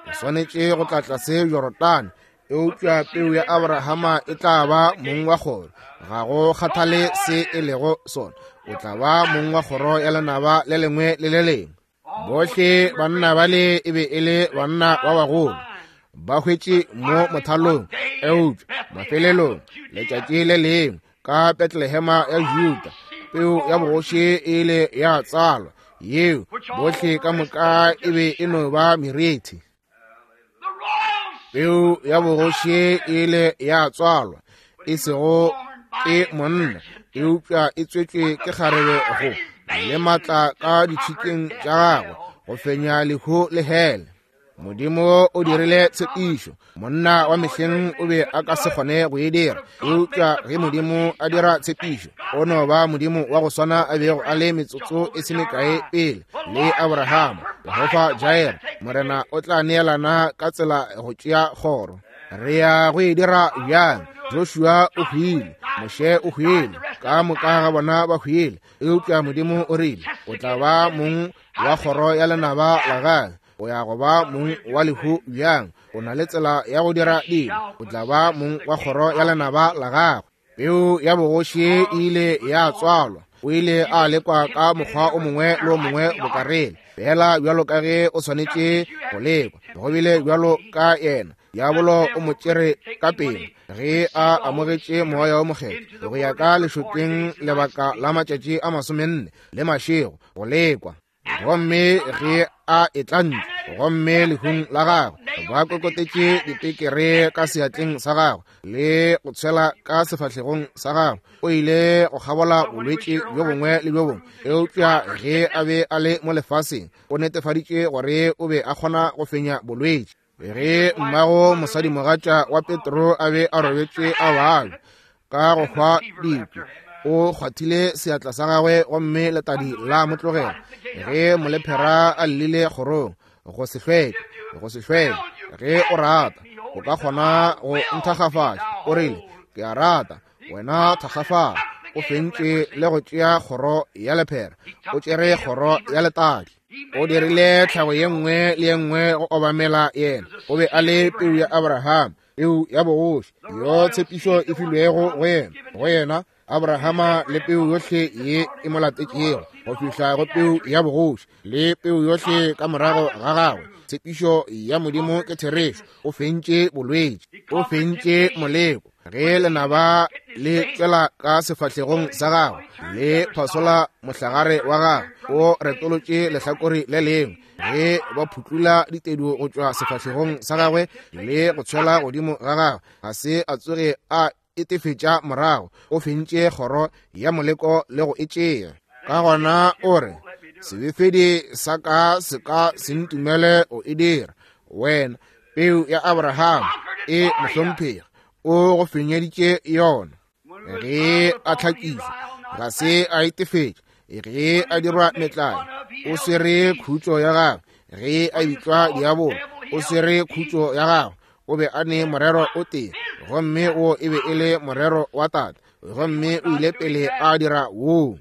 Ke swanetše go tla tlase Jorodane, eupša peu ya Abrahama e tla ba mong wa kgoro. Ga go kgathale se e lego sona, o tla ba mong wa kgoro ya lenaba le lengwe le le lengwe. Bohle banna bale e be e le banna ba bagolo, ba hwetše mo mothalong, eupša mafelelong letšatši le lengwe ka Betlehema ya Juda, peu ya bogoši e ile ya tsalwa, yeo bohle ka moka e be e no ba merithi. Peu ya bogoši e ile ya tswalwa, e sego ke monna, eupša e tswetšwe ke kgarebe go le matla ka ditšhikeng tša gagwe go fenya lehu le hele. Modimo o dirile tshepišo, monna wa mehleng o be a ka se kgone go e dira, eupša ge Modimo a dira tshepišo, o no ba Modimo wa go swana a bego a le metsotso e se mekae pele le Abrahama. Jehofa Jair, Morena o tla neelana ka tsela go tšea kgoro. Re ya go e dira bjang? Joshua o hwile, Moshe o hwile, ka moka ga bona ba hwile, eupša Modimo o rile o tla ba mong wa kgoro ya lenaba la gagwe. O ya go ba mong wa lehu bjang? O na le tsela ya go dira dilo. O tla ba mong wa kgoro ya lenaba la gagwe. Peu ya bogoši e ile ya tswalwa. O ile a lekwa ka mokgwa o mongwe le o mongwe bokarele, fela bjalo ka ge o swanetše go lekwa. Go bile bjalo ka yena. Diabolo o mo tšere ka pele ge a amogetše Moya wo Mokgethwa go ya ka lešokeng lebaka la matšatši a 40 le mašego go lekwa. Gomme ge a etla ntle, gomme lehung la gagwe ba kokotetše dipekere ka seatleng sa gagwe le go tshwela ka sefahlegong sa gagwe, o ile go kgabola bolwetši bjo bongwe le bjo bongwe. Eupša ge a be a le mo lefaseng, o netefaditše gore o be a kgona go fenya bolwetši. Ge mmago mosadimogatša wa Petro a be a robetše a babja ka go hwa dikwi, o kgwathile seatla sa gagwe gomme letadi la mo tlogela. Ge molephera a llile kgorong, go se hlweke, go se hlweke, ge o rata, o ka kgona go nthakgafatša. O rile, ke a rata, wena thakgafala. O fentše le go tšea kgoro ya lephera, o tšere kgoro ya letadi. O dirile tlhago ye nngwe le ye nngwe go obamela yena. O be a le peu ya Abraham, peu ya bogoši, yo tshepišo e filwego go yena, go yena Abrahama le peu yohle ye e mo latetšego go fihla go peu ya bogoši le peu yohle ka morago ga gagwe. Tshepišo ya Modimo ke therešo. O fentše bolwetši, o fentše moleko. Ge lenaba le tšwela ka sefahlegong sa gagwe le phasola mohlagare wa gagwe, o retolotše lehlakore le lengwe. Ge ba phutlula ditedu go tšwa sefahlegong sa gagwe le go tshwela godimo ga gagwe, ga se a tsoge a etefetša morago. O fentše kgoro ya moleko le go e tšea. Ka gona o re, sebefedi sa ka se ka se ntumele go e dira. Wena peu ya Abraham e mohlomphegi, o go fenyeditše yona. Ge a hlakišwa, ga se a itefetša. Ge a dirwa metlae, o swere khutšo ya gagwe. Ge a bitšwa diabolo, o swere khutšo ya gagwe. O be a ne morero o tee, gomme wo e be e le morero wa Tate, gomme o ile pele a dira woo.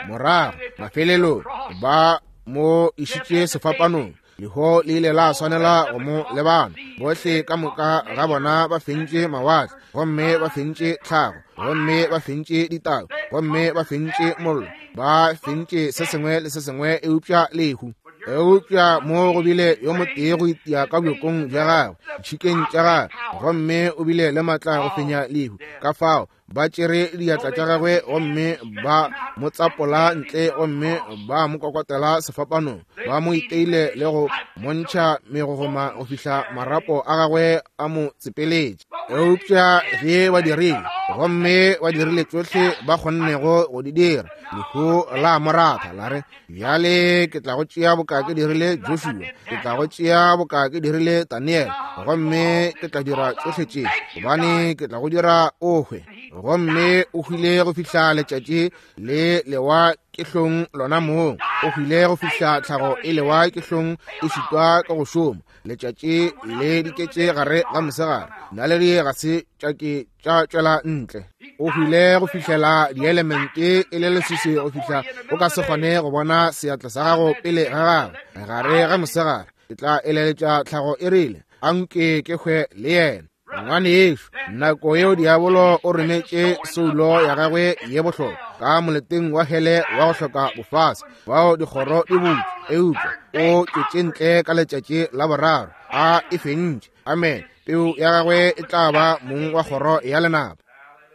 Morago mafelelong ba mo išitše sefapanong. Leho le ile la swanela go mo lebana. Bohle ka moka ga bona ba fentše mawatle, gomme ba fentše tlhago, gomme ba fentše ditau, gomme ba fentše mollo, ba fentše se sengwe le se sengwe eupša lehu. Eupša mo go bile yo motee go itia ka bjokong bja gagwe, ditšhikeng tša gagwe, gomme o bile le matla go fenya lehu. Ka fao ba tšere diatla tša gagwe gomme ba mo tsapola ntle, gomme ba mo kokotela sefapanong, ba mo iteile le go mo ntšha megogoma go fihla marapo a gagwe a mo tsepeletše. Eupša ge ba dirile, gomme ba dirile tšohle ba kgonnego go di dira, lehu la mo ratha la re, Bjale ke tla go tšea boka ke dirile Joshua, ke tla go tšea boka ke dirile Daniel, gomme ke tla dira tšohle tše, gobane ke tla go dira o hwe. Gomme o hwile go fihla letšatši le lewa ke hlong lona mong. O hwile go fihla tlhago e lewa ke hlong e šitwa ka go šoma. Letšatši le diketše gare ga mosegare, naledi ga se tša ke tša tšwela ntle. O hwile go fihlela dielemente e le leswiswi go fihla o ka se kgone go bona seatla sa gago pele ga gago gare ga mosegare. Ke tla eleletša tlhago e rile, a nke ke hwe le yena. Ngwanešu, nako yeo diabolo o rometše soulo ya gagwe ye bohlokwa ka moleteng wa hele wa go hloka bofase, bao dikgoro di butšwe, eupša o tšwetše ntle ka letšatši la boraro, a e fentše. Amen. Peu ya gagwe e tla ba mong wa kgoro ya lenaba.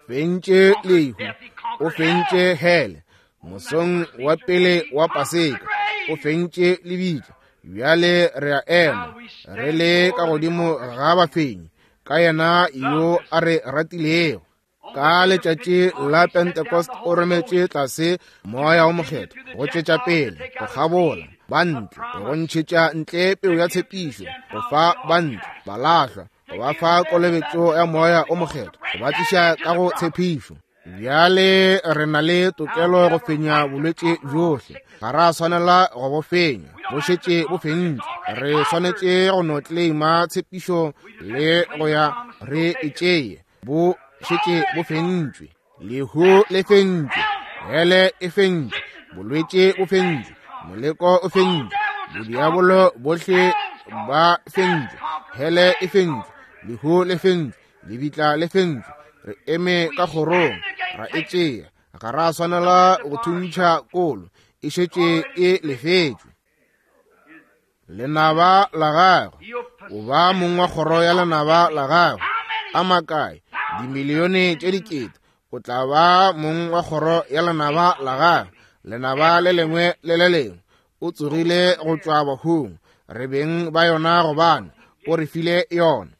Fentše lehu, o fentše hele, mosong wa pele wa Paseka, o fentše lebitla. Bjale re a ema re le ka godimo ga bafenyi ka yena yo a re ratilego. Ka letšatši la Pentecost o rometše tlase moya o mokgethwa go tšwetša pele go kgabola ba ntle, go ntšhetša ntle peu ya tshepišo, go fa ba ntle balahlwa, go ba fa kolobetšo ya moya o mokgethwa, go ba tliša ka go tshepišo. Bjale re na le tokelo go fenya bolwetši bjohle. Ga ra swanela go bo fenya, bo šetše bo fentšwe. Re swanetše go no claima tshepišo le go ya re e tšeye. Bo šetše bo fentšwe. Lehu le fentšwe, hele e fentšwe, bolwetši bo fentšwe, moleko o fentšwe, bodiabolo bohle ba fentšwe, hele e fentšwe, lehu le fentšwe, lebitla le fentšwe. Re eme ka kgorong ra e tšea. Ga ra swanela go thuntšha kolo, e šetše e lefetšwe. Lenaba la gagwe, o ba mong wa kgoro ya lenaba la gagwe. A makae? Dimilione tše dikete. O tla ba mong wa kgoro ya lenaba la gagwe, lenaba le lengwe le le lengwe. O tsogile go tšwa bahung, re beng ba yona gobane o re file yona.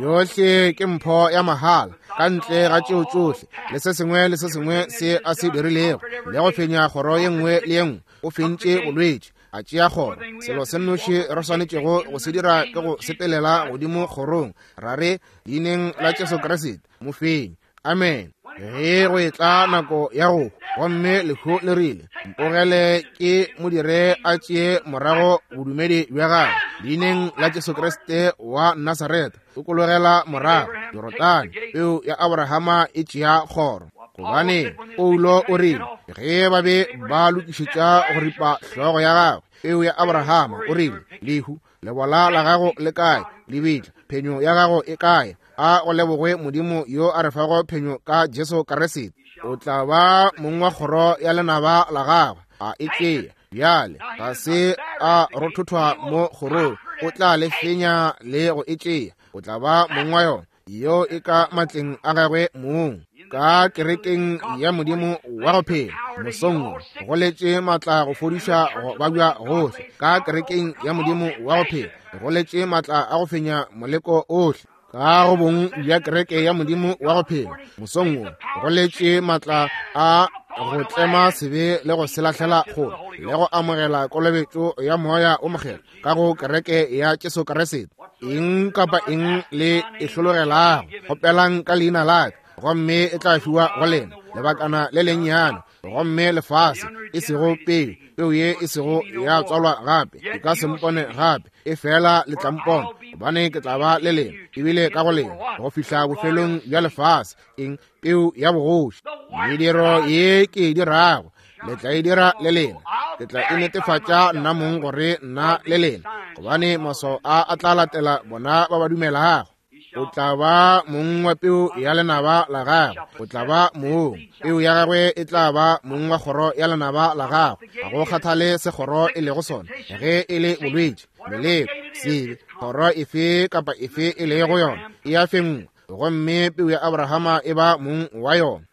Yohle ke mpho ya mahala, ka ntle ga tšeo tšohle le se sengwe le se sengwe se a se dirilego, le go fenya kgoro ye nngwe le ye nngwe. O fentše bolwetši, a tšea kgoro. Selo se nnoši re swanetšego go se dira ke go sepelela godimo kgorong, ra re, Leineng la Jesu Kriste, mofenyi. Amen. Ge go etla nako ya go, gomme lehu le rile, mpogele ke mo dire a tšee morago bodumedi bja gagwe, leineng la Jesu Kriste wa Nasaretha, tokologela morago Jorodane, peu ya Abrahama e tšea kgoro. Gobane Paulo o rile, ge ba be ba lokišetša go ripa hlogo ya gagwe, peu ya Abrahama, o rile, lehu, lebola la gago le kae? Lebitla, phenyo ya gago e kae? A go lebogwe Modimo yo a re fago phenyo ka Jesu Kriste. O tla ba mong wa kgoro ya lenaba la gagwe, a e tšea. Bjale ga se a rothothwa mo kgorong, o tla le fenya le go e tšea. O tla ba mong wa yona, yeo e ka matleng a gagwe mong. Ka kerekeng ya Modimo wa go phela, mosong wo, go letše matla go fodiša go babja gohle. Ka kerekeng ya Modimo wa go phela, go letše matla a go fenya moleko ohle. Ka go bong bja kereke ya Modimo wa go phela, mosong wo, go letše matla a go tlema sebe le go se lahlela kgole, le go amogela kolobetšo ya Moya o Mokgethwa ka go kereke ya Jesu Kriste. Eng kapa eng le e hlologelago, kgopelang ka leina la ka, gomme e tla fiwa go lena. Lebakana le lennyane, gomme lefase e sego peu, peu ye e sego ya tswalwa gape, e ka se mpone gape, e fela le tla mpona, gobane ke tla ba le lena, ebile ka go lena, go fihla bofelong bja lefase. Eng? Peu ya bogoši. Mediro ye ke e dirago, Le tla e dira le lena. Ke tla e netefatša nna mong gore nna le lena, gobane maswao a a tla latela bona ba ba dumelago. O tla ba mong wa peu ya lenaba la gagwe. O tla ba mong. Peu ya gagwe e tla ba mong wa kgoro ya lenaba la gagwe. Ga go kgathale se kgoro e lego sona, ge e le bolwetši, meleko, sebe, kgoro efe kapa efe e lego yona, e a fenngwa, gomme peu ya Abrahama e ba mong wa yona.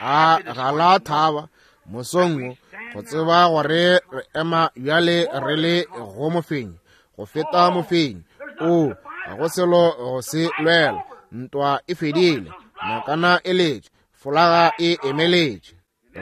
A ga la thaba mosong wo go tseba gore re ema bjale re le go mofenyi, go feta mofenyi? O, ga go selo go se lwela. Ntwa e fedile, nakana e letše, folaga e emeletše.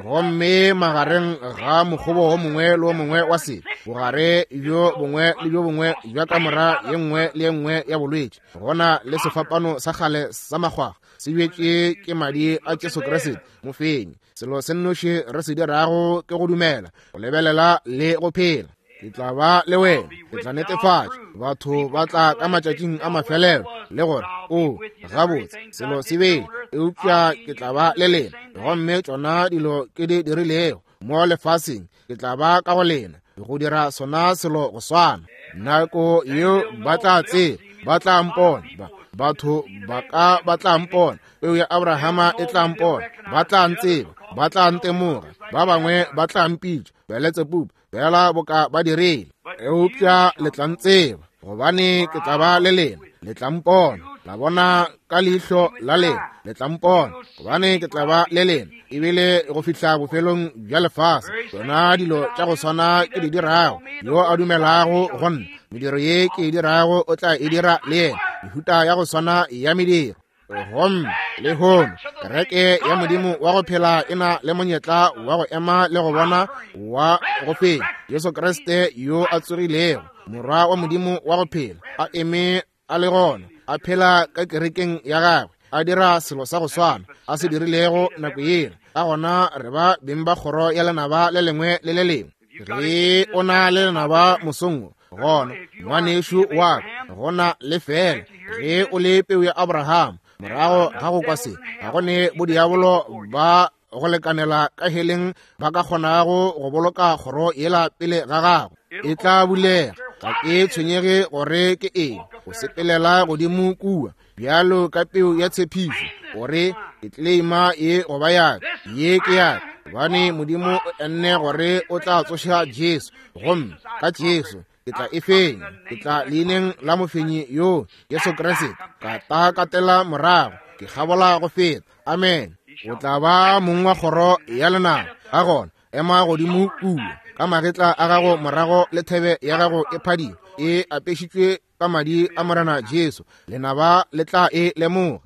Gomme magareng ga mokgobo wo mongwe le wo mongwe wa sebe, bogare bjo bongwe le bjo bongwe bja kamora ye nngwe le ye nngwe ya bolwetši, gona le sefapano sa kgale sa makgwakgwa se bjetše ke madi a Jesu Kriste mofenyi. Selo se nnoši re se dirago ke go dumela, go lebelela le go phela. Ke tla ba le wena, ke tla netefatša. Batho ba tla ka matšatšing a mafelelo le gore, o gabotse, selo se bele, eupša ke tla ba le lena. Gomme tšona dilo ke di dirilego mo lefaseng, ke tla ba ka go lena go dira sona selo go swana. Nako yeo ba tla tseba, ba tla mpona, batho ba ka ba tla mpona, peu ya Abrahama e tla mpona, ba tla ntseba, ba tla ntemoga, ba bangwe ba tla mpitša Beletsebubu, bjala boka ba dirile. Eupša le tla ntseba, gobane ke tla ba le lena. Le tla mpona, la bona ka leihlo la lena. Le tla mpona, gobane ke tla ba le lena, ebile go fihla bofelong bja lefase. Tšona dilo tša go swana ke di dirago, yo a dumelago go nna, mediro ye ke e dirago o tla e dira le yena, mehuta ya go swana ya mediro. Gomme lehono kereke ya Modimo wa go phela e na le monyetla wa go ema le go bona wa go fenya Jesu Kriste yo a tsogilego, Morwa wa Modimo wa go phela, a eme a le gona, a phela ka kerekeng ya gagwe, a dira selo sa go swana a se dirilego nako yela. Ka gona re ba beng ba kgoro ya lenaba le lengwe le le lengwe. Ge o na le lenaba mosong wo, gona ngwanešu wa ka, gona le fela ge o le peu ya Abraham, morago ga go kwa se, ga go ne bodiabolo ba go lekanela ka heleng ba ka kgonago go boloka kgoro yela pele ga gago. E tla bulega. Ga ke tshwenyege gore ke eng, o sepelela godimo kua bjalo ka peu ya tshepišo, gore ke claima ye goba ya ka, ye ke ya ka, gobane Modimo o enne gore o tla tsoša Jesu, gomme ka Jesu ke tla e fenya. Ke tla leineng la mofenyi yo, Jesu Kriste, ka ta katela morago, ke kgabola go feta. Amen. O tla ba mong wa kgoro ya lenaba. Ka gona ema godimo kua ka magetla a gago morago le thebe ya gago e phadima e apešitšwe ka madi a Morena Jesu. Lenaba le tla e lemoga.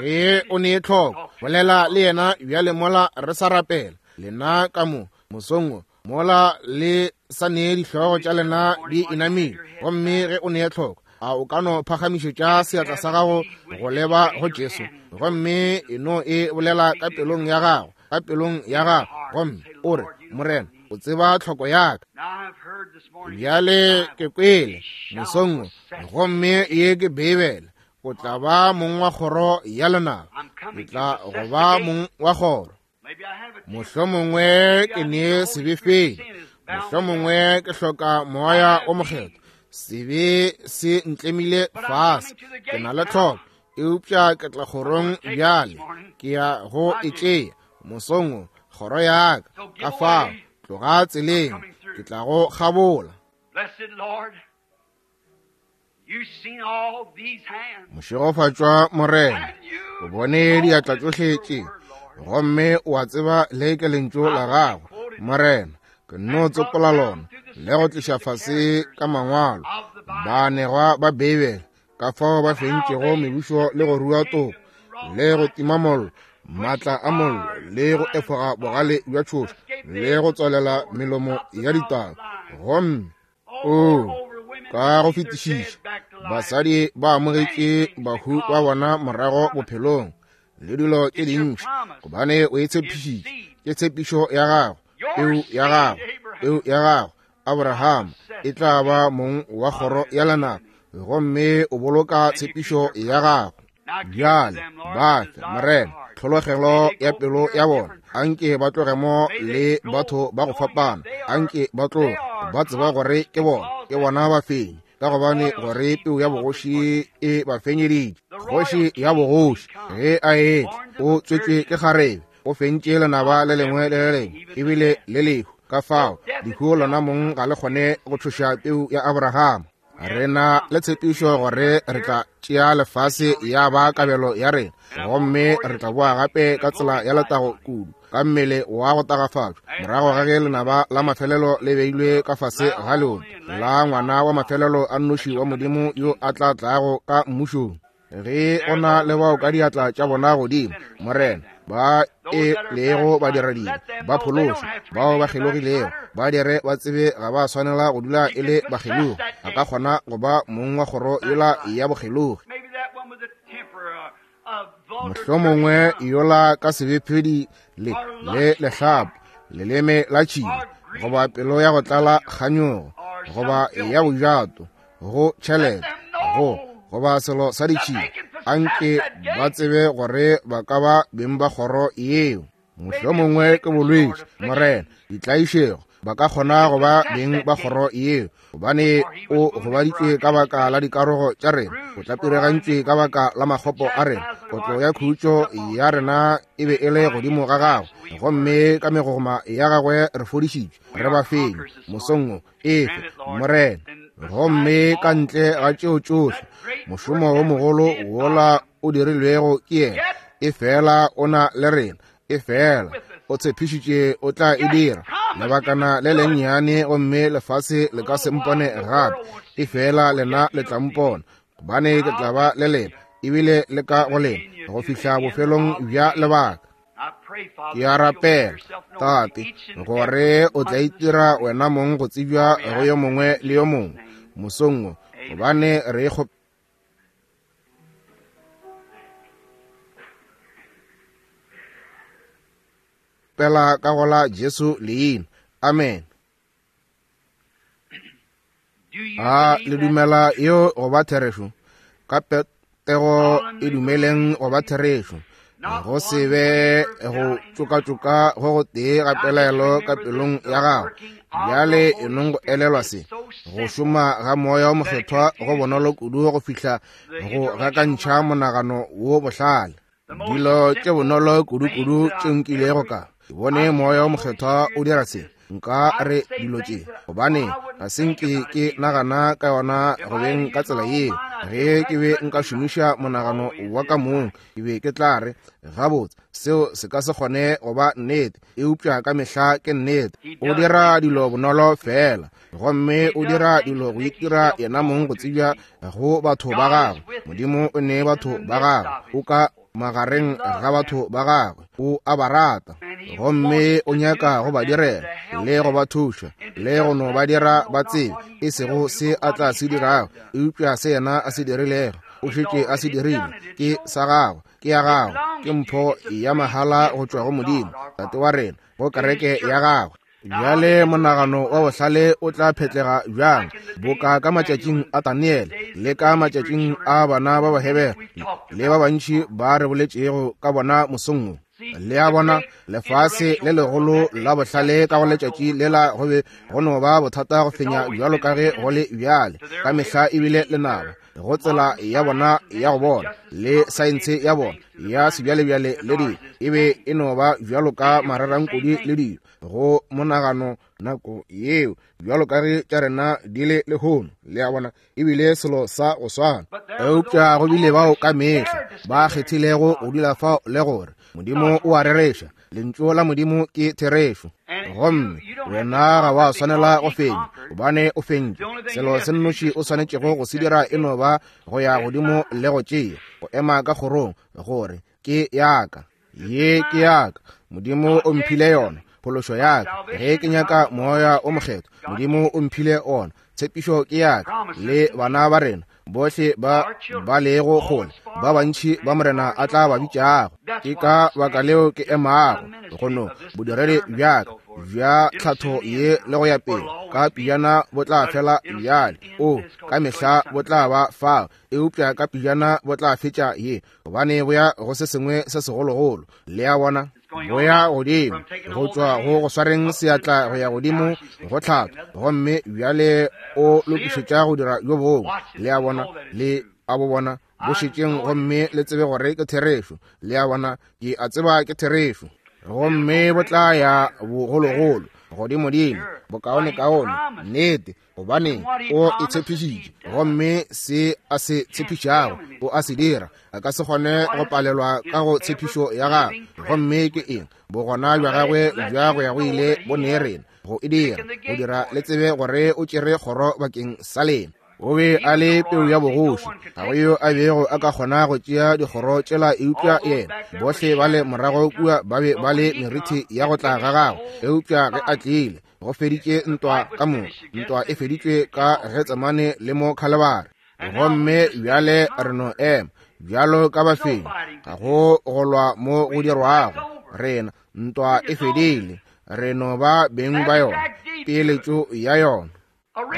Ge o ne tlhoko, bolela le yena bjale mola re sa rapela. Lena ka mo mosong wo, mola le sa nee dihlogo tša lena di inamile, gomme ge o ne tlhoko, a o ka no phagamišetša seatla sa gago go leba go Jesu, gomme e no e bolela ka pelong ya gago, ka pelong ya gago, gomme o re, Morena, o tseba tlhoko ya ka. Bjale ke kwele mosong wo, gomme ye ke Beibele, o tla ba mong wa kgoro ya lenaba. Ke tla go ba mong wa kgoro. Mohlomongwe ke ne sebe feng, mohlomongwe ke hloka Moya o Mokgethwa, sebe se ntlemile fase, ke na le tlhoko, eupša ke tla kgorong bjale, ke ya go e tšea mosong wo, kgoro ya ka. Ka fao tloga tseleng, ke tla go kgabola. Mošegofatšwa Morena, o bone diatla tšohle tše, gomme o a tseba le ke lentšu la gago, Morena. Ke no tsopola lona le go tliša fase ka mangwalo baanegwa ba Beibele, ka fao ba fentšego mebušo le go rua toko le go tima mollo, maatla a mollo, le go efoga bogale bja tšhoša, le go tswalela melomo ya ditau. Gomme o ka go fetišiša, basadi ba amogetše bahu ba bona morago bophelong le dilo tše dintši, gobane o e tshepišitše. Ke tshepišo ya gago, peu ya gago, peu ya gago Abraham e tla ba mong wa kgoro ya lenaba, gomme o boloka tshepišo ya gago. Bjale ba fe, Morena. tlhologelo ya pelo ya bona. Anke ba tloge mo le batho ba go fapana, anke ba tloge ba tseba gore ke bona, ke bona ba fenyi, ka gobane gore peu ya bogoši e ba fenyeditše. Kgoši ya bogoši ge a etla o tswetšwe ke kgarebe, o fentše lenaba le lengwe le le lengwe, ebile le lehu. Ka fao lehu lona mong ga le kgone go tšhoša peu ya Abrahama. Re na le tshepišo gore re tla tšea lefase ya ba kabelo ya rena, gomme re tla boa gape ka tsela ya letago kudu, ka mmele wa go tagafatšwa, morago ga ge lenaba la mafelelo le beilwe ka fase ga leoto la ngwana wa mafelelo a nnoši wa Modimo yo a tla tlago ka mmušong. Ge o na le bao ka diatla tša bona godimo, Morena, ba e lego badiradibe ba phološo, bao ba kgelogilego, ba dire ba tsebe ga ba swanela go dula e le bakgelogi. A ka kgona go ba mong wa kgoro yola ya bokgelogi. Mohlomongwe yola ka sebephedi le le lehlapo, leleme la tšhila, goba pelo ya go tlala kganyogo, goba ya bojato go tšhelete, go goba selo sa ditšhila, anke ba tsebe gore ba ka ba beng ba kgoro yeo. Mohlomongwe ke bolwetši, Morena, ditlaišego, ba ka kgona go ba beng ba kgoro yeo, gobane o gobaditšwe ka baka la dikarogo tša rena, o tlapiregantšwe ka baka la makgopo a rena, kotlo ya khutšo ya rena e be e le godimo ga gagwe, gomme ka megogoma ya gagwe re fodišitšwe, re ba fenyi mosong wo. Efe, Morena. Gomme ka ntle ga tšeo tšohle, mošomo wo mogolo wola o dirilwego ke yena, e fela o na le rena, e fela o tshepišitše o tla e dira. Lebakana le lennyane gomme lefase le ka se mpone gape, e fela lena le tla mpona, gobane ke tla ba le lena, ebile le ka go lena, go fihla bofelong bja lebaka. Ke a rapela, Tate, gore o tla itira wena mong go tsebja go yo mongwe le yo mongwe mosong wo, gobane re kgopela ka go la Jesu leina. Amen. A le dumela yeo go ba therešo? Ka petego e dumeleng go ba therešo. Go se be go tšokatšoka go go tee ga pelaelo ka pelong ya gago. Bjale e nong go elelwa se, go šoma ga Moya wo Mokgethwa go bonolo kudu go fihla go gakantšha monagano wo bohlale. Dilo tše bonolo kudu-kudu tše nkilego ka bone Moya wo Mokgethwa o dira se, nka re dilo tše, gobane ga se nke ke nagana ka yona go beng ka tsela yeo. Ge ke be nka šomiša monagano wa ka mong, ke be ke tla re, gabotse, seo se ka se kgone go ba nnete, eupša ka mehla ke nnete. O dira dilo bonolo fela, gomme o dira dilo go itira yena mong go tsebja go batho ba gagwe. Modimo o ne batho ba gagwe, o ka magareng ga batho ba gagwe, o a ba rata, gomme o nyaka go ba direla le go ba thuša le go no ba dira ba tsebe, e sego se a tla se dirago, eupša se yena a se dirilego, o šetše a se dirile, ke sa gagwe, ke ya gagwe, ke mpho ya mahala go tšwa go Modimo Tate wa rena, go kereke ya gagwe. Bjale monagano wa bohlale o tla phetlega bjang, boka ka matšatšing a Daniele le ka matšatšing a bana ba Bahebere le ba bantši ba re boletšego ka bona mosong wo. Le a bona, lefase le legolo la bohlale ka go letšatši lela go be go no ba bothata go fenya bjalo ka ge go le bjale. Ka mehla ebile lenaba go tsela ya bona ya go bona le saense ya bona ya sebjalebjale le dilo, e be e no ba bjalo ka mararankodi le dilo go monagano nako yeo, bjalo ka ge tša rena di le lehono. Le a bona, ebile selo sa go swana. Eupša go bile bao ka mehla ba kgethilego go dula fao le gore Modimo o a rereša, lentšu la Modimo ke therešo, gomme wena ga wa swanela go fenya, gobane o fentše. Selo se nnoši o swanetšego go se dira e no ba go ya godimo le go tšea, go ema ka kgorong, gore ke yaka, ye ke yaka, Modimo o mphile yona, phološo yaka. Ge ke nyaka Moya o Mokgethwa, Modimo o mphile ona, tshepišo ke yaka le bana ba rena bohle ba ba lego kgole, ba bantši ba Morena a tla ba bitšago. Ke ka baka leo ke emago go no bodiredi bjaka. bja tlhatho ye le go ya pele ka pijana bo tla fela bjale. O ka mehla bo tla ba fao, eupša ka pijana bo tla fetša ye, gobane bo ya go se sengwe se segologolo. Le a bona, bo ya godimo go tšwa go go swareng seatla go ya godimo go tlhatho, gomme bjale o lokišetša go dira yo bongwe. Le a bona, le a bo bona bo šetšeng gomme le tsebe gore ke therešo. Le a bona, ke a tseba ke therešo. Gomme bo tla ya bogologolo godimodimo, bokaonekaone, nnete, gobane o e tshepišitše, gomme se a se tshepišago o a se dira. A ka se kgone go palelwa ka go tshepišo ya gagwe. Gomme ke eng? Bogona bja gagwe bja go ya go ile bo ne rena go e dira, go dira le tsebe gore o tšere kgoro bakeng sa lena. O be a le peu ya bogoši, ga go yo a bego a ka kgona go tšea dikgoro tšela eupša yena. Bohle ba le morago kua ba be ba le merithi ya go tla ga gagwe, eupša ge a tlile, go feditše ntwa ka moka. Ntwa e feditšwe ka Getsemane le mo Khalebare. Gomme bjale re no ema bjalo ka bafenyi, ga go go lwa mo go dirwago. Rena, ntwa e fedile, re no ba beng ba yona, peeletšo ya yona.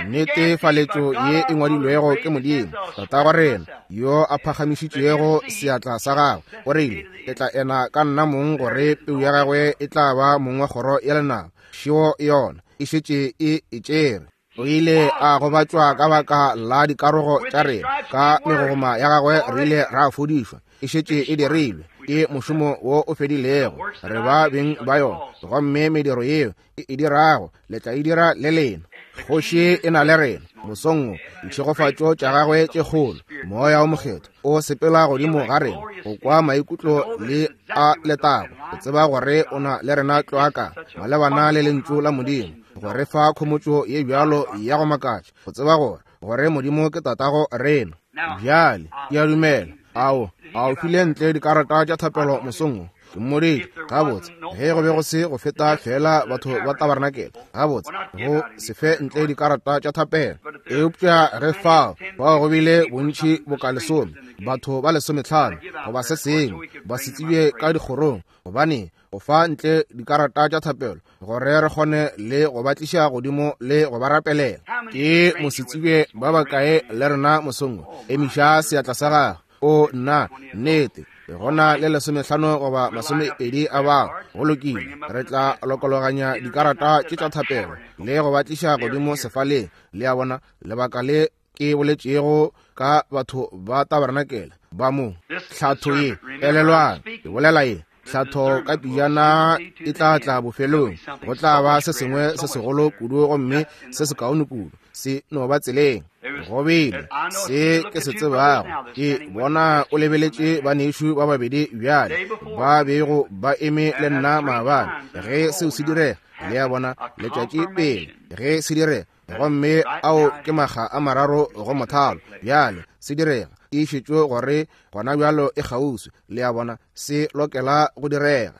Netefaletšo ye e ngwadilwego ke Modimo Tatago rena, yo a phagamišitšego seatla sa gagwe, o rile, Ke tla ena ka nna mong gore peu ya gagwe e tla ba mong wa kgoro ya lenaba. Šeo yona e šetše e e tšere. O ile a gobatšwa ka baka la dikarogo tša rena, ka megogoma ya gagwe re ile ra fodišwa. E šetše e dirilwe, ke mošomo wo o fedilego, re ba beng ba yona, gomme mediro yeo e e dirago le tla e dira le lena. Kgoši e na le rena mosong wo, ditšhegofatšo tša gagwe tše kgolo, Moya wo Mokgethwa o sepela godimo ga rena go kwa maikutlo le a letago, go tseba gore o na le rena tlwaka malebana le lentšu la Modimo, go re fa khomotšo ye bjalo ya go makatša, go tseba gore gore Modimo ke tatago rena. Bjale ke a dumela ao a o file ntle dikarata tša thapelo mosong wo. Ke mmoditše gabotse ge go be go se go feta fela batho ba tabarnakele, gabotse go se fe ntle dikarata tša thapelo. Eupša ge fao bao go bile bontši boka lesome, batho ba lesometlhano goba se sengwe ba se tsebje ka dikgorong, gobane go fa ntle dikarata tša thapelo gore re kgone le go ba tliša godimo le go ba rapelela. Ke mosetsebje ba bakae le rena mosong wo? Emiša seatla sa gago. O nna, nnete, go na le lesomehlano goba masomepedi a bao. Go lokile, re tla lokologanya dikarata tše tša thapelo le go ba tliša godimo sefaleng. Le a bona, lebaka le ke boletšego ka batho ba tabarenakele ba mo hlatho ye, elelwang, ke bolela ye hlatho ka pijana e tla tla bofelong, go tla ba se sengwe se segolo kudu gomme se sekaone kudu, se no ba tseleng. Go bile se ke se tsebago, ke bona o lebeletše banešu ba babedi bjale ba bego ba eme le nna maabane ge seo se direga. Le a bona, letšatši pele ge se direga, gomme ao ke makga a mararo go mothalo. Bjale se direga, tiišetšo gore gona bjalo e kgauswi. Le a bona, se lokela go direga.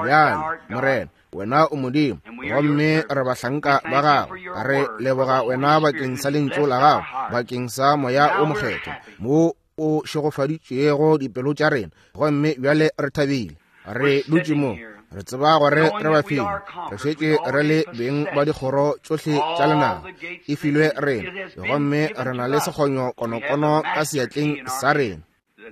Bjale, Morena, wena o Modimo, gomme re bahlanka ba gago. Re leboga wena bakeng sa lentšu la gago, bakeng sa Moya wo Mokgethwa mo o šegofaditšego dipelo tša rena, gomme bjale re thabile. Re dutše mo, re tseba gore re ba file, re šetše re le beng ba dikgoro tšohle tša lenaba, e filwe rena, gomme re na le sekgonyo konokono ka seatleng sa rena.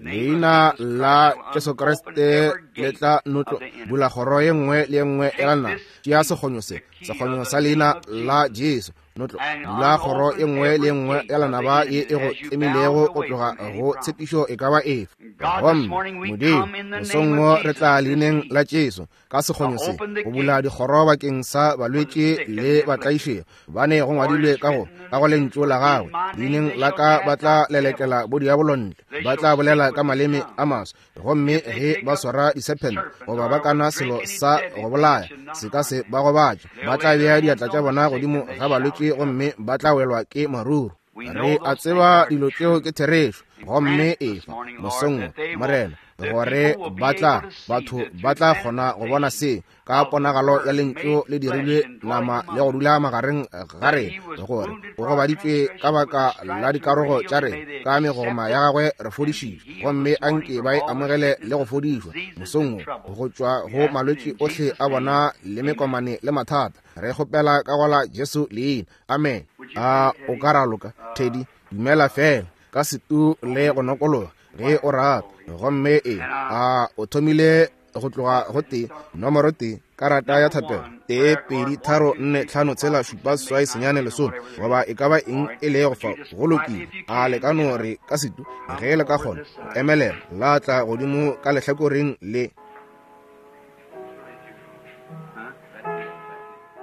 Leina la Jesu Kriste le tla notlo bula kgoro ye nngwe le ye nngwe ya lenaba. Tšea sekgonyo se, sekgonyo sa leina la Jesu, notlo bula kgoro ye nngwe le ye nngwe ya lenaba ye e go tlemilego go tloga go tshepišo e ka ba efe. Gomme Modimo, mosong wo re tla leineng la Jesu ka sekgonyo se go bula dikgoro bakeng sa balwetši le batlaišegi, bane go ngwadilwe ka go ka go lentšu la gagwe, leineng la ka ba tla lelekela bodiabolo ntle, ba tla bolela ka maleme a maswa, gomme ge ba swara disephente goba ba kana selo sa go bolaya se ka se ba gobatše, ba tla bea diatla tša bona godimo ga balwetši gomme ba tla welwa ke maruru. Re a tseba dilo tšeo ke therešo, gomme efa mosong wo, Morena, gore ba tla, batho ba tla kgona go bona se ka ponagalo ya lentšu le dirilwe nama le go dula magareng ga rena, gore o gobaditšwe ka baka la dikarogo tša rena, ka megoma ya gagwe re fodišitšwe. Gomme anke ba e amogele le go fodišwa mosong wo, go tšwa go malwetši ohle a bona le mekomane le mathata. Re kgopela ka go la Jesu leina. Amen. A o ka raloka, Teddy? Dumela fela ka setu le go nokologa ge o rata. Gomme e a o thomile go tloga go tee, nomoro tee, karata ya thapelo, 1 2 3 4 5 6 7 8 9 10, goba e ka ba eng e lego fa. Go lokile. A le ka no re ka setu ge le ka kgona go emelela la tla godimo ka lehlakoreng le.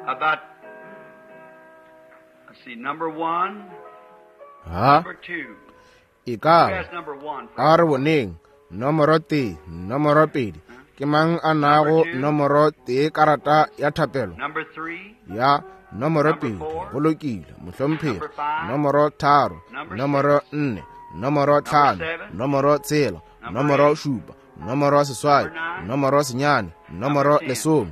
About, let's see, number 1, Ha? number 2. E ka Who has number 1? a re boneng nomoro 1, nomoro 2. Ke mang a nago nomoro 1 karata ya thapelo? Number 3. Ya nomoro 2. Go lokile, mohlomphegi. Nomoro 3, nomoro 4, nomoro 5, nomoro 6, nomoro 7, nomoro 8, nomoro 9, nomoro 10.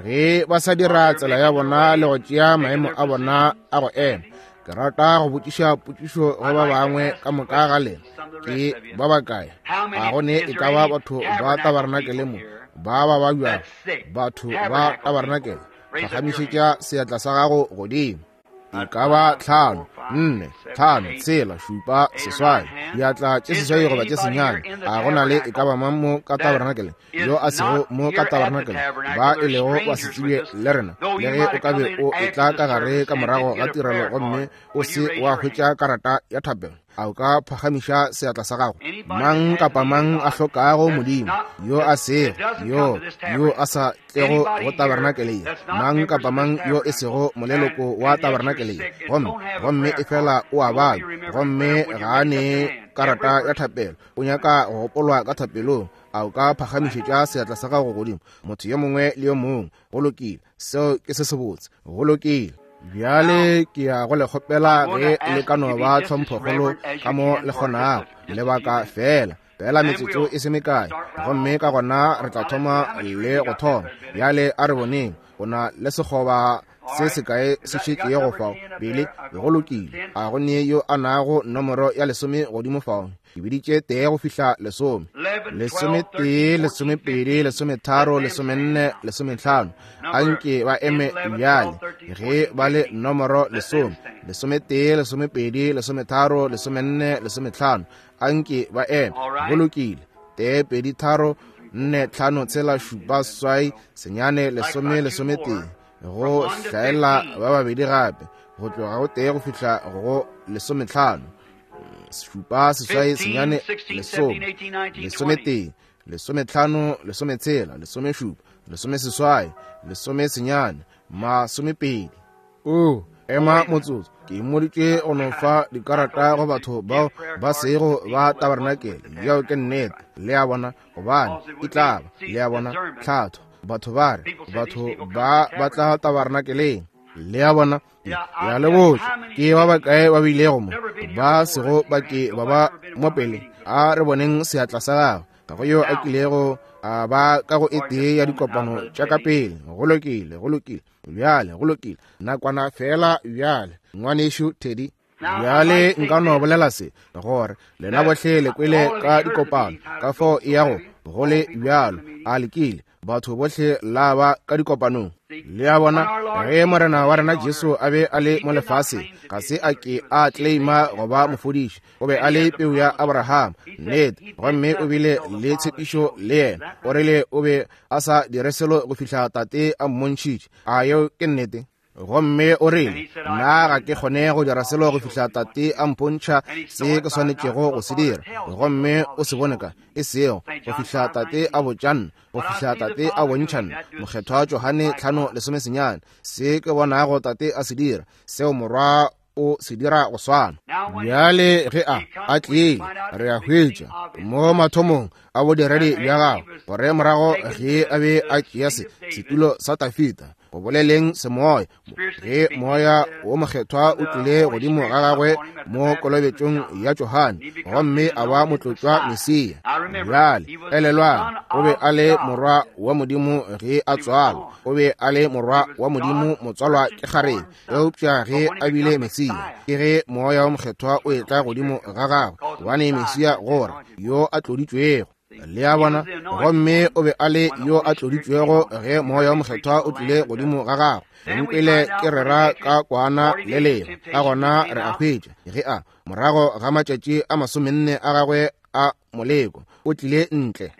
Ge ba sa dira tsela ya bona le go tšea maemo a bona a go ema, ke rata go botšiša potšišo go ba bangwe ka moka ga lena. Ke ba bakae? A go ne e ka ba batho ba tabarenakele mo ba ba babjang? Batho ba tabarenakele, phagamišetša seatla sa gago godimo. E ka ba 5, 4, 5, 6, 7, 8, diatla tše 8 goba tše 9. A go na le e ka ba mang mo ka tabarenakele yo a sego mo ka tabarenakele, ba e lego ba se tsebje le rena? Le ge o ka be o etla ka gare ka morago ga tirelo gomme o se wa hwetša karata ya thapelo, a o ka phagamiša seatla sa gago? Mang kapa mang a hlokago Modimo, yo a sego, yo yo a sa tlego go tabarenakele ye, mang kapa mang yo e sego moleloko wa tabarenakele ye, gomme e fela o a babja, gomme ga a ne karata ya thapelo, o nyaka go gopolwa ka thapelong, a o ka phagamišetša seatla sa gago godimo? Motho yo mongwe le yo mongwe. Go lokile, seo ke se sebotse. Go lokile. Bjale ke ya go le kgopela ge le ka no ba tlhomphokgolo ka mo le kgonago, lebaka fela fela metsotso e se mekae, gomme ka gona re tla thoma le go thoma. Bjale a re boneng, o na le sekgoba se sekae se šetšego fao, Billy? Go lokile. A go ne yo a nago nomoro ya 10 godimo fao? Ke biditše 1 go fihla 10. 11, 12, 13, 14, 15. Anke ba eme bjale ge ba le nomoro 10. 11, 12, 13, 14, 15. Anke ba eme. Go lokile. 1 2 3 4 5 6 7 8 9 10 11. Go hlaela ba babedi gape, go tloga go 1 go fihla go 15. 7 8 9 10 11 15 16 17 18 19 20. O ema motsotso, ke mmoditše go no fa dikarata go batho bao ba sego ba tabarenakele. Yeo ke nnete, le a bona, gobane e tla ba, le a bona, tlhatho. Batho ba re, batho ba ba tla tabarenakeleng, le a bona. Ya le botša ke ba bakae ba bilego mo ba sego ba ke ba ba mo pele? A re boneng seatla sa gago. Ga go yo a kilego a ba ka go e tee ya dikopano tša ka pele. Go lokile, go lokile. Bjale, go lokile. Nakwana fela bjale, ngwanešu Teddy. Bjale nka no bolela se, gore lena bohle le kwele ka dikopano, ka fao e yago go le bjalo. A lekile batho bohle la ba ka dikopanong. Le a bona, ge Morena wa rena Jesu a be a le mo lefaseng, ga se a ke a claima go ba mofodiši. O be a le peu ya Abraham, nnete, gomme o bile le tshepišo le yena. O rile o be a sa dire selo go fihla Tate a mmontšhitše. A yeo ke nnete? Gomme o rile, nna ga ke kgone go dira selo go fihla Tate a mpontšha se ke swanetšego go se dira. Gomme o se bone ka, e sego go fihla Tate a botša nna, go fihla Tate a bontšha nna. Mokgethwa Johane 5:19, se ke bonago Tate a se dira, seo Morwa o se dira go swana. Bjale ge a tlile, re a hwetša mo mathomong a bodiredi bja gagwe, gore morago ge a be a tšea setulo sa Dafida, go boleleng semoya, ge Moya wo Mokgethwa o tlile godimo ga gagwe mo kolobetšong ya Johane, gomme a ba motlotšwa Mesia. Bjale elelwang, o be a le morwa wa Modimo ge a tswalwa, o be a le morwa wa Modimo motswalwa ke kgarebe, eupša ge a bile Mesia, ke ge Moya wo Mokgethwa o etla godimo ga gagwe, gobane Mesia gore yo a tloditšwego. Le a bona? Gomme o be a le yo a tloditšwego ge Moya wo Mokgethwa o tlile godimo ga gagwe. Nkwele ke rera ka kwana le lengwe, ka gona re a hwetša ge a morago ga matšatši a 40 a gagwe a moleko o tlile ntle,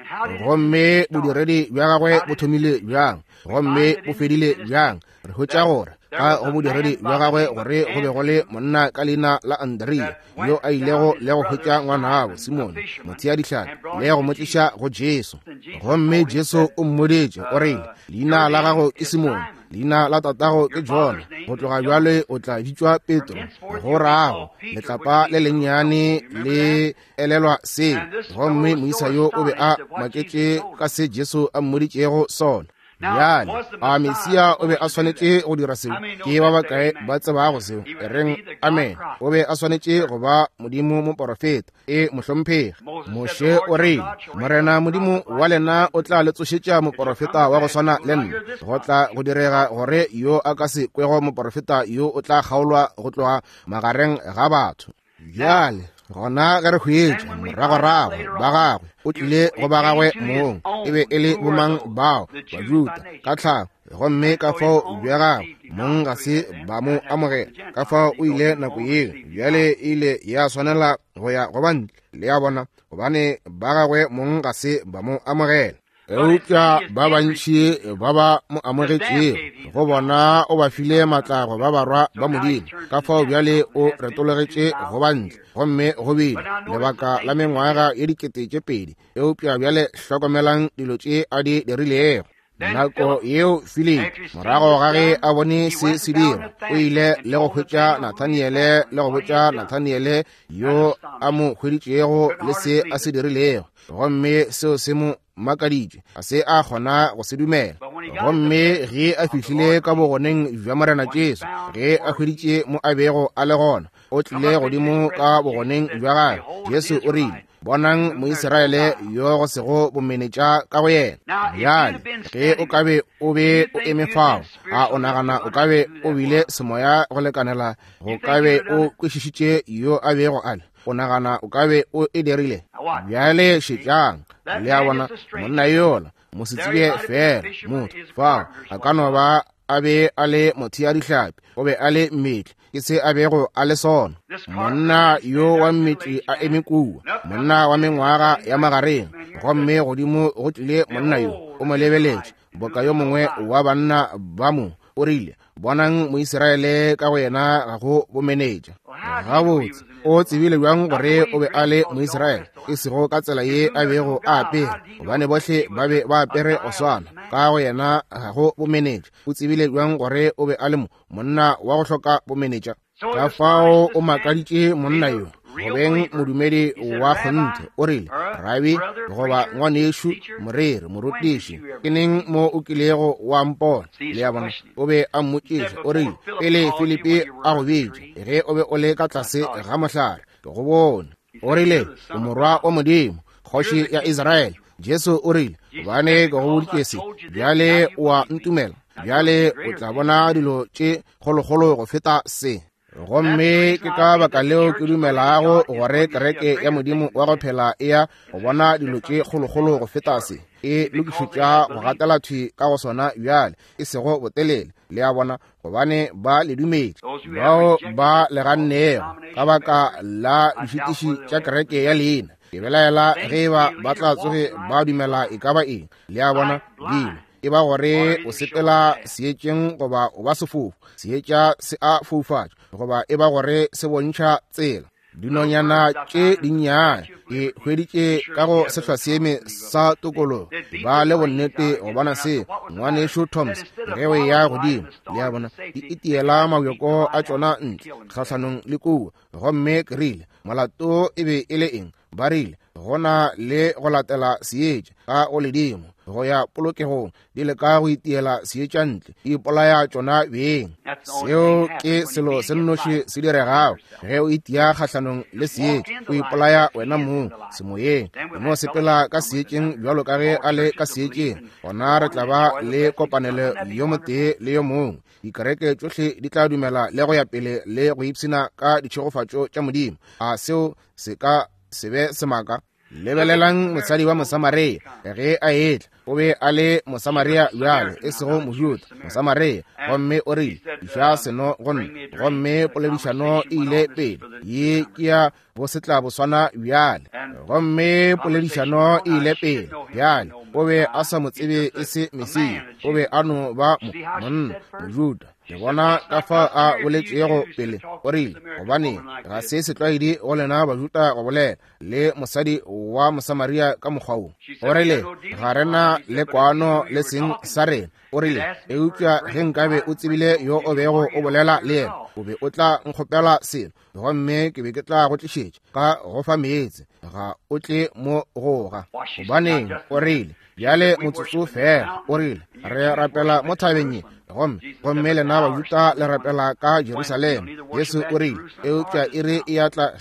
gomme bodiredi bja gagwe bo thomile bjang gomme bo fedile bjang. Re hwetša gore ka go bodiredi bja gagwe gore go be go le monna ka leina la Andrea yo a ilego le go hwetša ngwanabo Simone mothea dihlapi le go mo tliša go Jesu. Gomme Jesu o mmoditše, o rile, leina la gago ke Simone, leina la tatago ke Jona, go tloga bjale o tla bitšwa Petro, go rago letlapa le lennyane le elelwa seo. Gomme moisa yo o be a maketše ka se Jesu a mmoditšego sona. Bjale a Mesia o be a swanetše go dira seo? Ke ba bakae ba tsebago seo? E reng amen. O be a swanetše go ba Modimo moporofeta. E mohlomphegi. Moshe o rile, Morena Modimo wa lena o tla le tsošetša moporofeta wa go swana le nna. Go tla go direga gore yo a ka se kwego moporofeta yo o tla kgaolwa go tloga magareng ga batho. Bjale gona ge re hwetša moragorago ba gagwe, o tlile go ba gagwe mong, e be e le bomang bao? Bajuda ka tlhago, gomme ka fao bja gagwe mong ga se ba mo amogela, ka fao o ile nako yeo. Bjale e ile ya swanela go ya go ba ntle, le a bona, gobane ba gagwe mong ga se ba mo amogela. Eupša ba bantši ba ba mo amogetšego, go bona o ba file matla go ba barwa ba Modimo. Ka fao bjale o retologetše go ba ntle, gomme go bile lebaka la mengwaga ye 2000. Eupša bjale hlokomelang dilo tše a di dirilego. Nako yeo Filipi, morago ga ge a bone se se dira, o ile le go hwetša Nathaniele le go botša Nathaniele yo a mo hweditšego le se a se dirilego, gomme seo se mo makaditše, a se a kgona go se dumela. Gomme ge a fihlile ka bogoneng bja Morena Jesu, ge a hweditše mo a bego a le gona, o tlile godimo ka bogoneng bja gagwe. Jesu o rile, bonang Moisraele yo go sego bomenetša ka go yena. Bjale ge o ka be o be o eme fao, a o nagana o ka be o bile semoya go lekanela go ka be o kwešišitše yo a bego a le? O nagana o ka be o e dirile? Bjale šetšang, le a bona, monna yola mosetsebje fela motho fao a ka no ba a be a le mothea dihlapi, o be a le mmetli, ke se a bego a le sona. Monna yo wa mmetli a eme kua, monna wa mengwaga ya magareng, gomme godimo go tlile monna yo, o mo lebeletše boka yo mongwe wa banna ba mo, o rile, bonang Moisraele ka go yena ga go bomenetša. Gabotse, o tsebile bjang gore o be a le Moisraele? E sego ka tsela ye a bego a apere, gobane bohle ba be ba apere go swana. Ka go yena ga go bomenetša. O tsebile bjang gore o be a le monna wa go hloka bomenetša? Ka fao o makaditše monna yo go beng modumedi wa kgonthe. O rile, Rabi, goba ngwanešu, moreri, morutiši, ke neng mo o kilego wa mpona? Le a bona, o be a mmotšiša. O rile, pele Filipi a go bitša, ge o be o le ka tlase ga mohlare, ke go bone. O rile, o morwa wa Modimo, kgoši ya Israele. Jesu o rile, gobane ke go boditše se, bjale o a ntumela, bjale o tla bona dilo tše kgolokgolo go feta se. Gomme ke ka baka leo ke dumelago gore kereke ya Modimo wa go phela e ya go bona dilo tše kgolokgolo go feta se. E lokišetša go gatela thwi ka go sona bjale, e sego botelele, le a bona, gobane ba le dumetše. Bao ba le gannego ka baka la dišitiši tša kereke ya leina, ke belaela ge eba ba tla tsoge ba dumela e ka ba eng, le a bona, dilo e ba gore o sepela seetšeng goba o ba sefofu, seetša se a foufatša, goba e ba gore se bontšha tsela. Dinonyana tše dinnyane ke hweditše ka go sehlwaseeme sa tokologo, ba le bonnete go bona se, ngwanešu Thomas, ge o eya godimo, le a bona, di itiela mabjoko a tšona ntle kgahlanong le kua. Gomme ke rile, molato e be e le eng? Ba rile, go na le go latela seetša ka go ledimo. go ya polokegong, di leka go itiela seetša ntle, di ipolaya tšona beng. Seo ke selo se nnoši se diregago ge o itia kgahlanong le seetša, o ipolaya wena mong semoyeng. O no sepela ka seetšeng bjalo ka ge a le ka seetšeng, gona re tla ba le kopanelo yo motee le yo mongwe. Dikereke tšohle di tla dumela le go ya pele le go ipshina ka ditšhegofatšo tša Modimo. A seo se ka se be semaka? Lebelelang mosadi wa Mosamaria ge a etla. O be a le Mosamaria bjale, e sego Mojuda, Mosamaria. Gomme o rile, Tliša seno go nna. Gomme poledišano e ile pele. Ye ke ya bosetlaboswana bjale. Gomme poledišano e ile pele bjale. O be a sa mo tsebe e se Mesia. O be a no ba monna, Mojuda. Le bona ka fa a boletšego pele. O rile, gobane ga se setlwaedi go lena Bajuda go bolela le mosadi wa Mosamaria ka mokgwa wo. O rile, ga re na le kwano le seng sa rena. O rile, eupša ge nkabe o tsebile yo o bego o bolela le yena, o be o tla nkgopela selo, gomme ke be ke tla go tlišetša ka go fa meetse. Ga o tle mo goga. Gobaneng, o rile, bjale motsotso fela. O rile, re rapela mo thabeng ye, gomme gomme lena Bajuda le rapela ka Jerusalema. Jesu o rile, eupša iri e a tla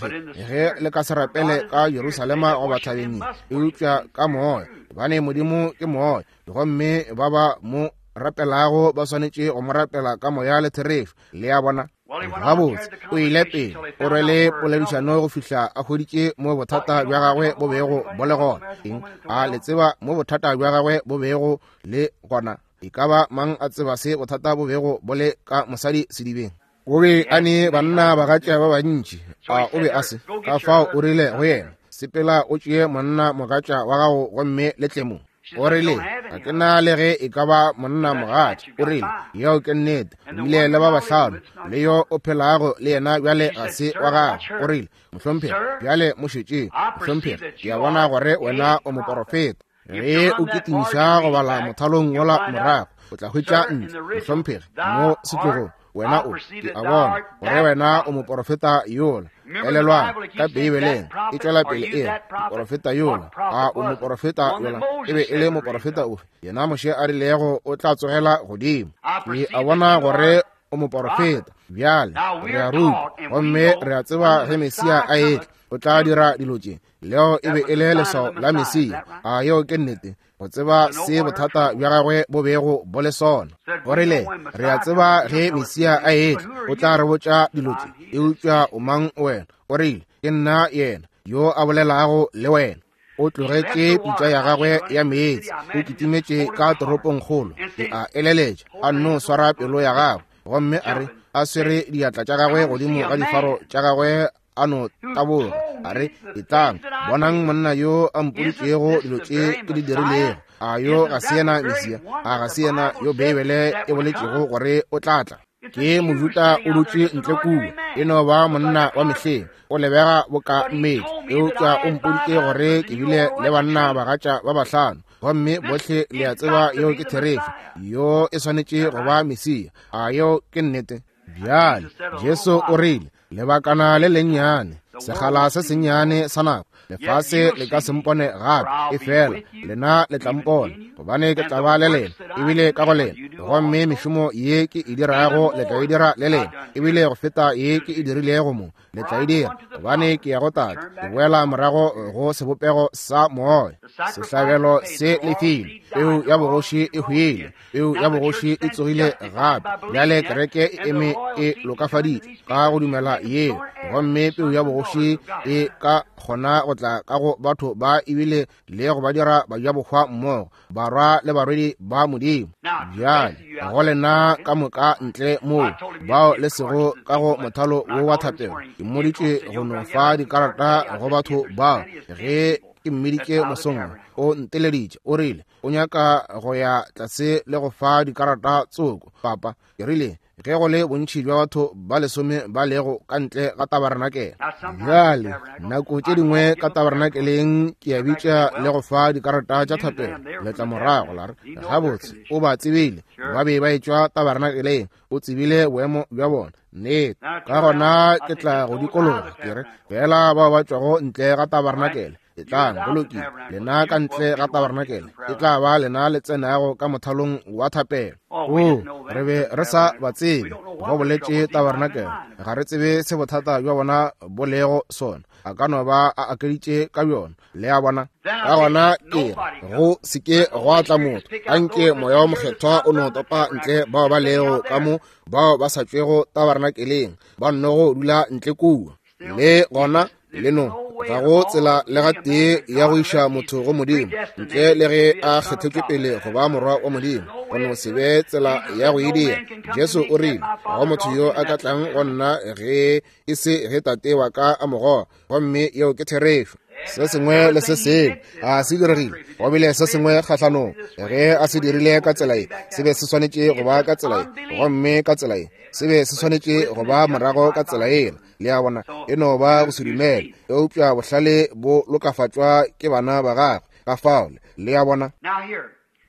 ge le ka se rapele ka Jerusalema goba thabeng ye, eupša ka moya, gobane Modimo ke moya, gomme ba ba mo rapelago ba swanetše go mo rapela ka moya le therešo. Le a bona? Gabotse, o ile pele, o rwele poledišano go fihla a hweditše mo bothata bja gagwe bo bego bo le gona. Eng? A le tseba mo bothata bja gagwe bo bego le gona? E ka ba mang a tseba se bothata bo bego bo le ka mosadi sedibeng? O be a ne banna bagatša ba bantši, a o be a se? Ka fao o rile go yena, sepela o tšee monna mogatša wa gago gomme le tle mo. O rile, ga ke na le ge e ka ba monna mogatša. O rile, yeo ke nnete, o bile le ba bahlano, le yo o phelago le yena bjale ga se wa gago. O rile, mohlomphegi, bjale mo šetšeng. Mohlomphegi, ke a bona gore wena o moporofeta. Ge o kitimiša go bala mothalong wola morago, o tla hwetša ntle, mohlomphegi, mo setlogong. Wena o, ke a bona gore wena o moporofeta yola. Elelwang, ka Beibeleng e tšwela pele e re, moporofeta yola. A o moporofeta yola? E be e le moporofeta ofe? Yena Moshe a rilego o tla tsogela godimo. Ke a bona gore o moporofeta. Bjale re a ruta gomme re a tseba ge Mesia a etla o tla dira dilo tše. Leo e be e le leswao la Mesia. A yeo ke nnete? Go tseba se bothata bja gagwe bo bego bo le sona. O rile, re a tseba ge Mesia a etla o tla re botša dilo tše, eupša o mang wena? O rile, ke nna yena yo a bolelago le wena. O tlogetše pitša ya gagwe ya meetse, o kitimetše ka toropongkgolo, ke a eleletša, a nno swara pelo ya gagwe, gomme a re a swere diatla tša gagwe godimo ga difaro tša gagwe, a no taboga, a re, etlang, bonang monna yo a mpoditšego dilo tše ke di dirilego. A yo ga se yena Mesia? A ga se yena yo Beibele e boletšego gore o tla tla? Ke Mojuda o dutše ntle kua, e no ba monna wa mehleng, o lebega boka mmedi, eupša o mpoditše gore ke bile le banna bagatša ba bahlano, gomme bohle le a tseba yeo ke therešo. Yo e swanetše go ba Mesia. A yeo ke nnete? Bjale Jesu o rile, lebakana le lennyane, sekgala se sennyane sa nako, lefase le ka se mpone gape, efela lena le tla mpona, gobane ke tla ba le lena, ebile ka go lena. Gomme mešomo ye ke e dirago le tla e dira le lena, ebile go feta ye ke e dirilego mo le tla e dira, gobane ke ya go Tate, ke boela morago go sebopego sa moya. Sehlabelo se lefile, peu ya bogoši e hwile, peu ya bogoši e tsogile gape. Bjale kereke e eme e lokafaditšwe ka go dumela yeo, gomme peu ya bogoši e ka kgona go tla ka go batho ba ebile le go ba dira bajabohwa mmogo, barwa le barwedi ba Modimo. Bjale go lena ka moka ntle moo bao le sego ka go mothalo wo wa thapelo, ke mmoditše go no fa dikarata go batho bao. Ge ke mmiditše mosong, o nteleditše, o rile o nyaka go ya tlase le go fa dikarata tsoko. Papa, ke rile, ge go le bontši bja batho ba lesome ba lego ka ntle ga tabarenakele. Bjale, nako tše dingwe ka tabarenakeleng ke a bitša le go fa dikarata tša thapelo, le tla morago la re, gabotse, o ba tsebile, ba be ba etšwa tabarenakeleng, o tsebile boemo bja bona. Nnete. Ka gona ke tla go dikologa, ke re, fela bao ba tšwago ntle ga tabarenakele. Etlang, go lokile. Lena ka ntle ga tabarenakele, e tla ba lena le tsenago ka mothalong wa thapelo. Oo, re be re sa ba tsebe, go boletše tabarenakele. Ga re tsebe se bothata bja bona bo lego sona. A ka no ba a akeditše ka bjona. Le a bona? Ka gona ke re, go se ke gwa tla motho. Anke Moya wo Mokgethwa o no topa ntle bao ba lego ka mo, bao ba sa tšwego tabarenakeleng, ba nnogo dula ntle kua. Le gona, le no ga go tsela le ga tee ya go iša motho go Modimo ntle le ge a kgethetšwe pele go ba morwa wa Modimo. Go no se be tsela ya go e dira. Jesu o rile, ga go motho yo a ka tlang go nna ge e se ge Tate wa ka a mo goga. Gomme yeo ke therešo. Se sengwe le se sengwe a se diregile, go bile se sengwe kgahlanong. Ge a se dirile ka tsela ye, se be se swanetše go ba ka tsela ye, gomme ka tsela ye se be se swanetše go ba morago ka tsela yela. Le a bona, e no ba go se dumele. Eupša bohlale bo lokafatšwa ke bana ba gagwe. Ka fao, le a bona.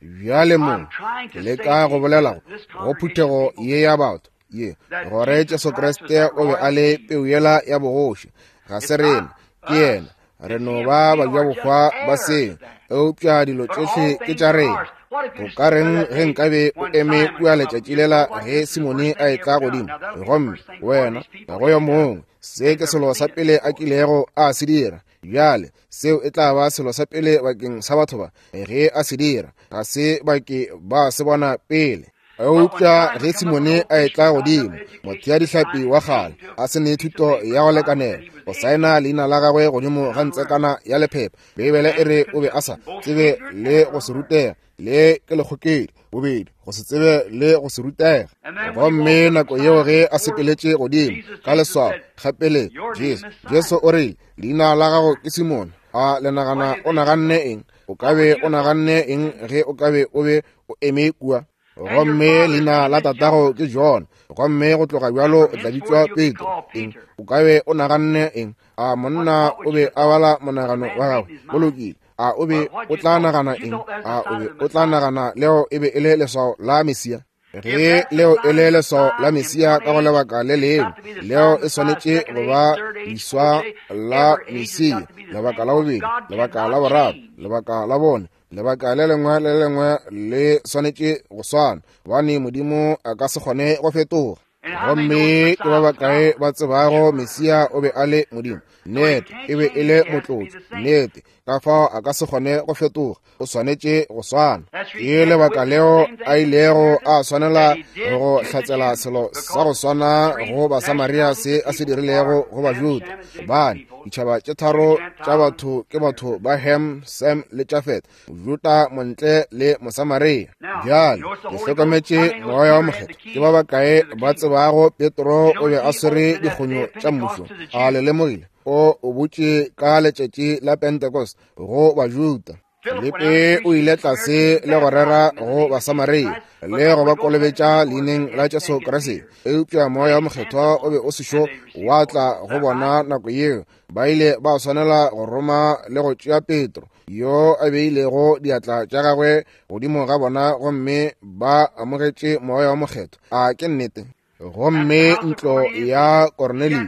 Bjale mo ke leka go bolela go phuthego ye ya batho ye, gore Jesu Kriste o be a le peu yela ya bogoši. Ga se rena, ke yena. Re no ba bajabohwa ba seng, eupša dilo tšohle ke tša rena. Go ka reng ge nkabe o eme kua letšatši lela ge Simone a etla godimo, gomme wena ga go yo mongwe, se ke selo sa pele a kilego a se dira. Bjale seo e tla ba selo sa pele bakeng sa batho ba ge a se dira, ga se ba ke ba se bona pele. Eupša ge Simone a etla godimo, motheadihlapi wa kgale, a se ne thuto ya go lekanela go saena leina la gagwe godimo ga ntsekana ya lephepha, Beibele e re o be a sa tsebe le go se rutega, le ke lekgokedi, bobedi go se tsebe le go se rutega. Gomme nako yeo ge a sepeletše godimo ka leswao gapele, Jesu, Jesu o rile, leina la gago ke Simone. A le nagana o naganne eng? O ka be o naganne eng ge o ka be o be o eme kua? Gomme leina la tatago ke John, gomme go tloga bjalo o tla bitšwa Petro. Eng? O ka be o naganne eng? A monna o be a bala monagano wa gagwe? Go lokile. A o be o tla nagana eng? A o be o tla nagana leo e be e le leswao la Mesia? Ge leo e le leswao la Mesia ka go lebaka le lengwe, leo e swanetše go ba leswa la Mesia, lebaka la bobedi, lebaka la boraro, lebaka la bone, lebaka le lengwe le lengwe le swanetše go swana, gobane Modimo a ka se kgone go fetoga. Gomme ke ba bakae ba tsebago Mesia o be a le Modimo? Nnete, e be e le motlotši. Nnete, ka fao a ka se kgone go fetoga, o swanetše go swana. Ke lebaka leo a ilego a swanela go hlatsela selo sa go swana go Basamaria se a se dirilego go Bajuda, gobane ditšhaba tše tharo tša batho ke batho ba Ham, Sem le Jafet, Mojuda, Montle le Mosamaria. Bjale ke hlokometše Moya wa Mokgethwa. Ke ba bakae ba tsebago Petro o be a swere dikgonyo tša mmušo? A le lemogile? O o botše ka letšatši la Pentecost go Bajuda. Filipi o ile tlase le go rera go Basamaria le go ba kolobetša leineng la Jesu Kriste, eupša Moya wa Mokgethwa o be o sešo wa tla go bona nako yeo. Ba ile ba swanela go roma le go tšea Petro, yo a beilego diatla tša gagwe godimo ga bona, gomme ba amogetše Moya wa Mokgethwa. A ke nnete? Gomme ntlo ya Kornelio,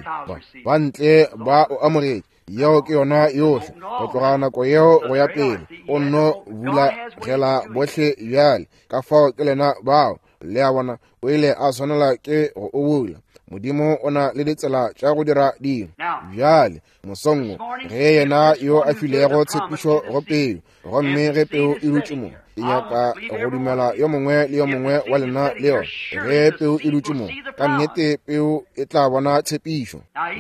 ba ntle ba o amogetše. Yeo ke yona yohle. Go tloga nako yeo go ya pele, o nno bulagela bohle bjale. Ka fao ke lena bao, le a bona, o ile a swanela ke go o bula. Modimo o na le ditsela tša go dira dilo. Bjale, mosong wo, ge yena yo a filego tshepišo go peu, gomme ge peu e dutše mo, ke nyaka go dumela yo mongwe le yo mongwe wa lena le yona. Ge peu e dutše mo, ka nnete peu e tla bona tshepišo.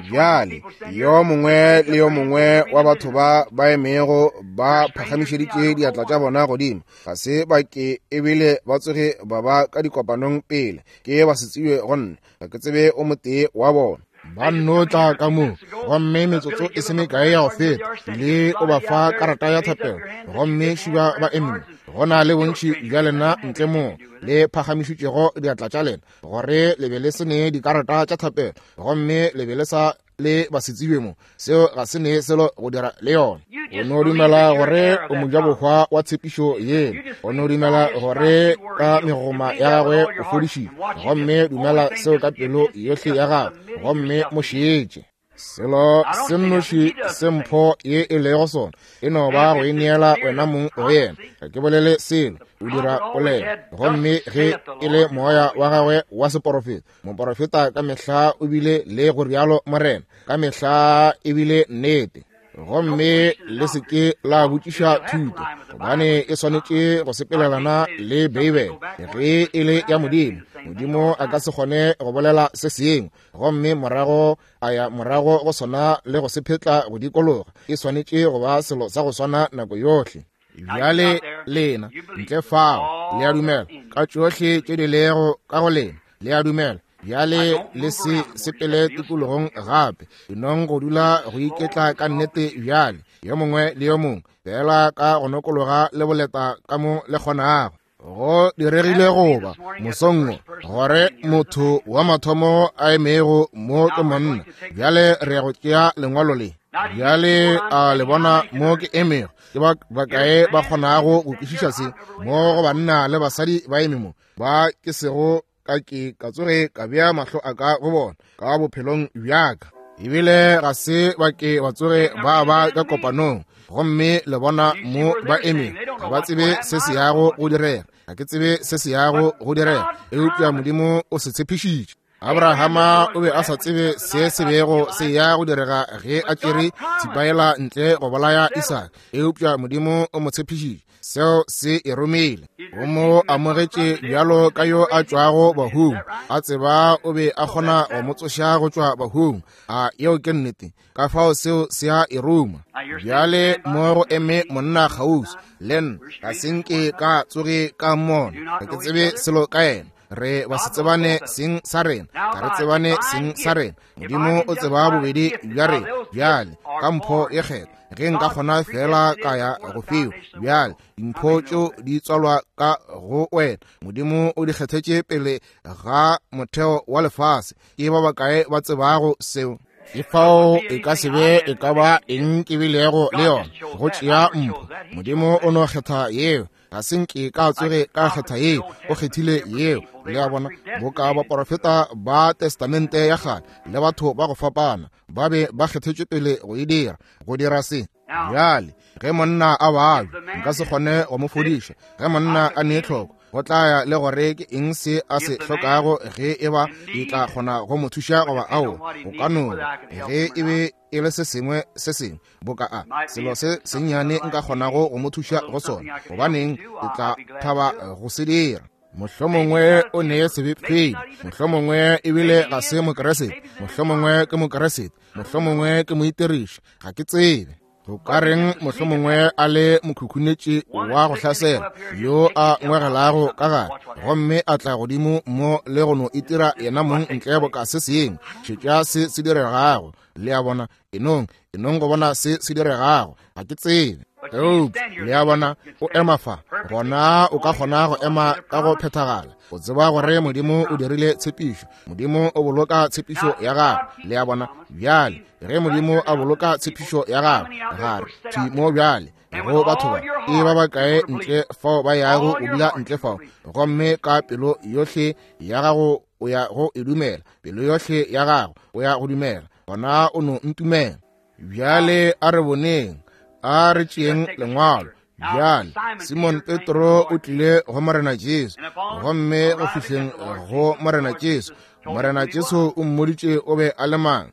Bjale, yo mongwe le yo mongwe wa batho ba ba emego ba phagamišeditše diatla tša bona godimo, ga se ba ke ebile ba tsoge ba ba ka dikopanong pele, ke ba se tsebje go nna, ga ke tsebe o motee wa bona. Ba nno tla ka mo, gomme metsotso e se mekae ya go feta, le o ba fa karata ya thapelo, gomme šiba ba eme. Go na le bontši bja lena ntle mo le phagamišitšego diatla tša lena, gore le be le se ne dikarata tša thapelo, gomme le be le sa le ba se tsebe mo. Seo ga se ne selo go dira le yona. O no dumela gore o mojabohwa wa tshepišo yela. O no dumela gore ka megoma ya gagwe o fodišitšwe, gomme dumela seo ka pelo yohle ya gago, gomme mo šetše. Selo se nnoši se mpho ye e lego sona e no ba go ineela wena mong go yena. Ga ke bolele selo, o dira polelo. Gomme ge e le moya wa gagwe wa seporofeta, moporofeta ka mehla o bile le go rialo Morena, ka mehla e bile nnete. Gomme le se ke la botšiša thuto, gobane e swanetše go sepelelana le Beibele. Ge e le ya Modimo, Modimo a ka se kgone go bolela se sengwe gomme morago a ya morago go sona le go se phetla go dikologa. E swanetše go ba selo sa go swana nako yohle. Bjale lena ntle fao le a dumela ka tšohle tše di lego ka go lena, le a dumela. Bjale le se sepele tikologong gape, enong go dula go iketla ka nnete bjale, yo mongwe le yo mongwe, fela ka go nokologa le boleta ka mo le kgonago. Go diregile goba mosong wo gore motho wa mathomo a emego mo ke monna. Bjale re ya go tšea lengwalo le. Bjale a le bona mo ke emego? Ke ba bakae ba kgonago go kwešiša se? Mo go banna le basadi ba eme mo, ba ke sego ka ke ka tsoge ka bea mahlo a ka go bona ka bophelong bjaka, ebile ga se ba ke ba tsoge ba ba ka kopanong. Gomme le bona mo ba eme, ga ba tsebe se se yago go direga. Ga ke tsebe se se yago go direga, eupša Modimo o se tshepišitše. Abrahama o be a sa tsebe se se bego se ya go direga ge a tšere thipaela ntle go bolaya Isaka, eupša Modimo o mo tshepišitše. Seo se e romile. O mo amogetše bjalo ka yo a tšwago bahung, a tseba o be a kgona go mo tsoša go tšwa bahung. A yeo ke nnete? Ka fao seo se a e ruma. Bjale mo go eme monna kgauswi le nna, ga se nke ka tsoge ka mmona, ga ke tsebe selo ka yena. Re ba se tsebane seng sa rena, ga re tsebane seng sa rena. Modimo o tseba bobedi bja rena. Bjale ka mpho ye kgethwa, ge nka kgona fela ka ya go fiwa. Bjale dimpho tšeo di tswalwa ka go wena, Modimo o di kgethetše pele ga motheo wa lefase. Ke ba bakae ba tsebago seo? Ke fao e ka se be e ka ba eng ke bilego le yona go tšea mpho. Modimo o no kgetha yeo. Ga se nke ka tsoge ka kgetha yeo, o kgethile yeo. Le a bona, boka baporofeta ba Testamente ya kgale le batho ba go fapana ba be ba kgethetšwe pele go e dira, go dira se. Bjale ge monna a babja, nka se kgone go mo fodiša. Ge monna a ne tlhoko, go tla ya le gore ke eng se a se hlokago, ge e ba ke tla kgona go mo thuša goba aowa. Go ka no ba ge e be e le se sengwe se sengwe boka a selo se sennyane nka kgonago go mo thuša go sona, gobaneng ke tla thaba go se dira. Mohlomongwe o ne sebefedi, mohlomongwe ebile ga se Mokeresete, mohlomongwe ke Mokeresete, mohlomongwe ke moitiriši, ga ke tsebe. Go ka reng mohlomongwe a le mokhukhunetši wa go hlasela yo a ngwegelago ka gare gomme a tla godimo mo le go no itira yena mong ntle boka se sengwe. Šetša se se diregago. Le a bona, enong, enong go bona se se diregago. Ga ke tsebe. Eupša le a bona, o ema fa, gona o ka kgona go ema ka go phethagala. O tseba gore Modimo o dirile tshepišo. Modimo o boloka tshepišo ya gagwe. Le a bona, bjale ge Modimo a boloka tshepišo ya gagwe, gare thwi mo bjale go batho ba, e ba bakae ntle fao ba yago go dula ntle fao, gomme ka pelo yohle ya gago o ya go e dumela, pelo yohle ya gago o ya go dumela, gona o no ntumela. Bjale a re boneng, a re tšeeng lengwalo. Bjale Simon Petro o tlile go Morena Jesu, gomme go fihleng go Morena Jesu, Morena Jesu o mmoditše o be a le mang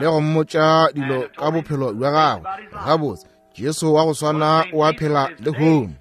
le go mmotša dilo ka bophelo bja gagwe. Gabotse, Jesu wa go swana o a phela lehono.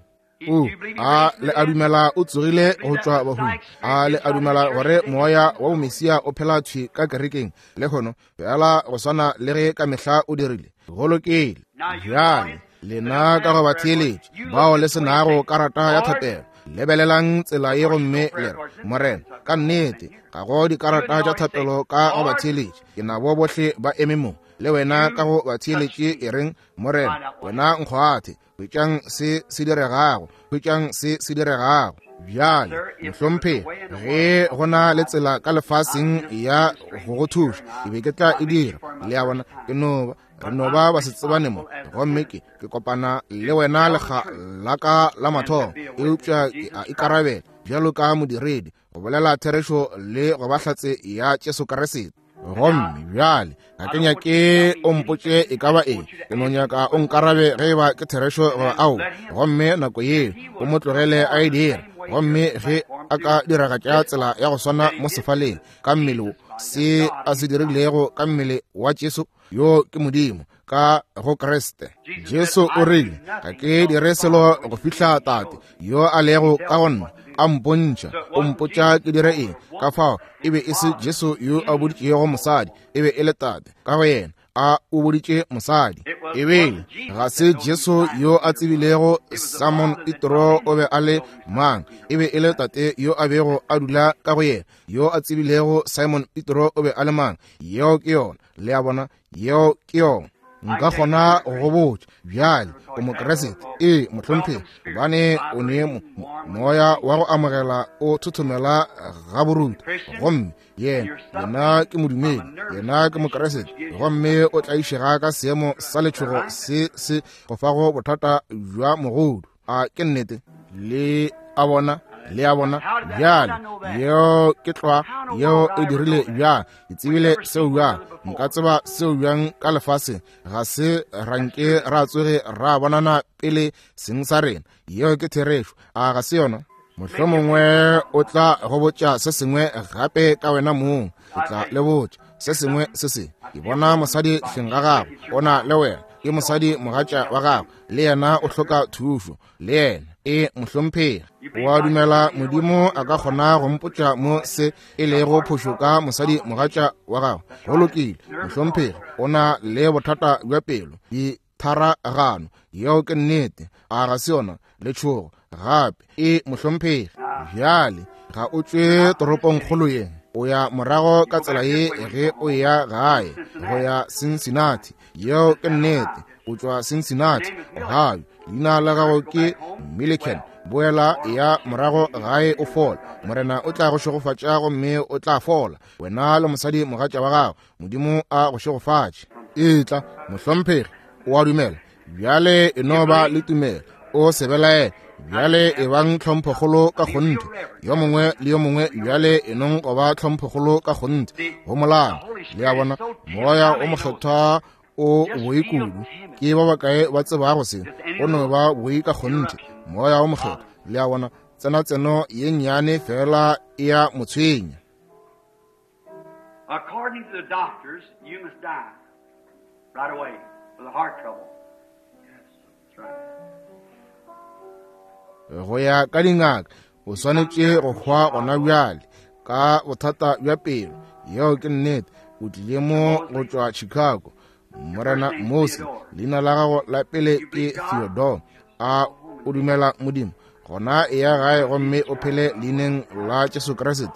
O a le a dumela o tsogile go tšwa bahung? A le a dumela gore moya wa bomesia o phela thwi ka kerekeng lehono, fela go swana le ge ka mehla o dirile? Go lokile. Bjale lena ka go ba theeletše bao le se nago karata ya thapelo, lebelelang tsela ye gomme le re, Morena, ka nnete ga go dikarata tša thapelo ka go ba theeletše. Ke nabo bohle ba eme mo le wena ka go ba theeletše. E reng, Morena, wena nkgwathe. Hwetšang se se diregago, hwetšang se se diregago. Bjale, mohlomphegi, ge go na le tsela ka lefaseng ya go go thuša, ke be ke tla e dira. Le a bona, ke no ba, re no ba ba se tsebane mo, gomme ke, ke kopana le wena lekga la ka la mathomo, eupša ke a ikarabela bjalo ka modiredi go bolela therešo le go ba hlatse ya Jesu Kriste. Gomme bjale ga ke nyake o mpotše e ka ba eng, ke no nyaka o nkarabe ge e ba ke therešo goba ao. Gomme nako yeo o mo tlogele a e dira. Gomme ge a ka diragatša tsela ya go swana mo sefaleng ka mmele wo, se a se dirilego ka mmele wa Jesu, yo ke Modimo ka go Kriste. Jesu o rile, ga ke dire selo go fihla Tate yo a lego ka go nna a mpontšha, o mpotša ke dire eng. Ka fao e be e se Jesu yo a boditšego mosadi, e be e le Tate ka go yena a o boditše mosadi. E be ga se Jesu yo a tsebilego Simon Petro o be a le mang, e be e le Tate yo a bego a dula ka go yena yo a tsebilego Simon Petro o be a le mang. Yeo ke yona, le a bona, yeo ke yona. Nka kgona go go botša bjale o Mokriste, ee mohlomphegi, gobane o ne moya wa go amogela o thothomela ga borutho. Gomme yena, yena ke modumedi, yena ke Mokriste, gomme o tlaišega ka seemo sa letšhogo se se go fago bothata bja mogodu. A ke nnete? Le a bona, le a bona bjale, yeo ke tlwa, yeo e dirile bjang. Ke tsebile seo bjang, nka tseba seo bjang ka lefaseng? Ga se ranke ra tsoge ra bonana pele seng sa rena. Yeo ke therešo, a ga se yona? Mohlomongwe o tla go botša se sengwe gape ka wena mong. Ke tla le botša se sengwe se se. Ke bona mosadi hleng ga gago, o na le wena, ke mosadi mogatša wa gago, le yena o hloka thušo, le yena. E mohlomphegi, o a dumela Modimo a ka kgona go mpotša mo se e lego phošo ka mosadi mogatša wa gago? Go lokile, mohlomphegi, o na le bothata bja pelo, ditharagano. Yeo ke nnete, a ga se yona? Letšhogo gape. E mohlomphegi, bjale ga o tšwe toropongkgolo ye, o ya morago ka tsela ye ge o eya gae go ya Cincinnati. Yeo ke nnete, o tšwa Cincinnati, Ohio. Leina la gago ke Milliken. Boela ya morago gae o fola. Morena o tla go šegofatša gomme o tla fola, wena le mosadi mogatša wa gago. Modimo a go šegofatše. Etla, mohlomphegi, o a dumela bjale, e no ba le tumelo, o se belaele. Bjale e bang tlhomphokgolo ka kgonthe, yo mongwe le yo mongwe. Bjale e nong go ba tlhomphokgolo ka kgonthe go molao. Le a bona, Moya o Mokgethwa o boi kudu. Ke ba bakae ba tsebago se? O no ba boi ka kgonthe, Moya o Mokgethwa. Le a bona, tsenatseno ye nnyane fela e a mo tshwenya. According to the doctors, you must die right away with a heart trouble. Yes, that's right. Go ya ka dingaka, o swanetše go hwa gona bjale ka bothata bja pelo. Yeo ke nnete. O tlile mo go tšwa Chicago. Morena Mose, leina la gago la pele ke Theodore. A o dumela Modimo? Gona e ya gae gomme o phele leineng la Jesu Kriste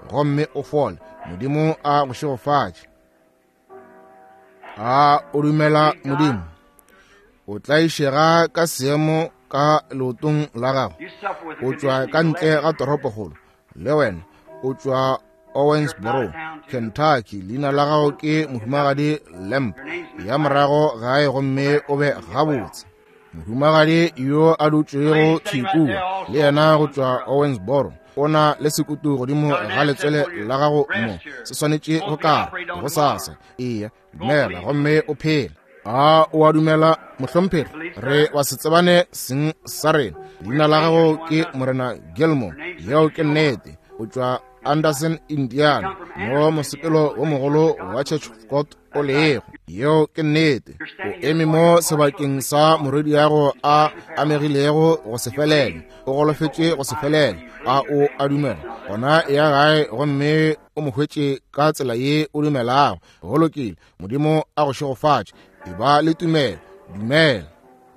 gomme o fole. Modimo a go šegofatše. A o dumela Modimo? O tlaišega ka seemo ka leotong la gago. O tšwa ka ntle ga toropokgolo. Le wena o tšwa Owensboro, Kentucky. Leina la gago ke Mohumagadi Lamp. Ya morago gae gomme o be gabotse. Mohumagadi yo a dutšego thwi kua, le yena go tšwa Owensboro, o na le sekutu godimo ga letswele la gago mo, se swanetše go kara go sasa. Eya, dumela gomme o phele. A o a dumela, mohlomphegi? Re wa se tsebane seng sa rena. Leina la gago ke Morena Gilmore. Yeo ke nnete. O tšwa Anderson, Indiana, mo mosepelo wo mogolo wa Church of God o lego. Yeo ke nnete. O eme mo sebakeng sa morwediago a amegilego go se felele, o golofetše go se felele. A o a dumela? Gona ya gae gomme o mo hwetše ka tsela ye o dumelago. Go lokile. Modimo a go šegofatše. E ba le tumelo. Dumela.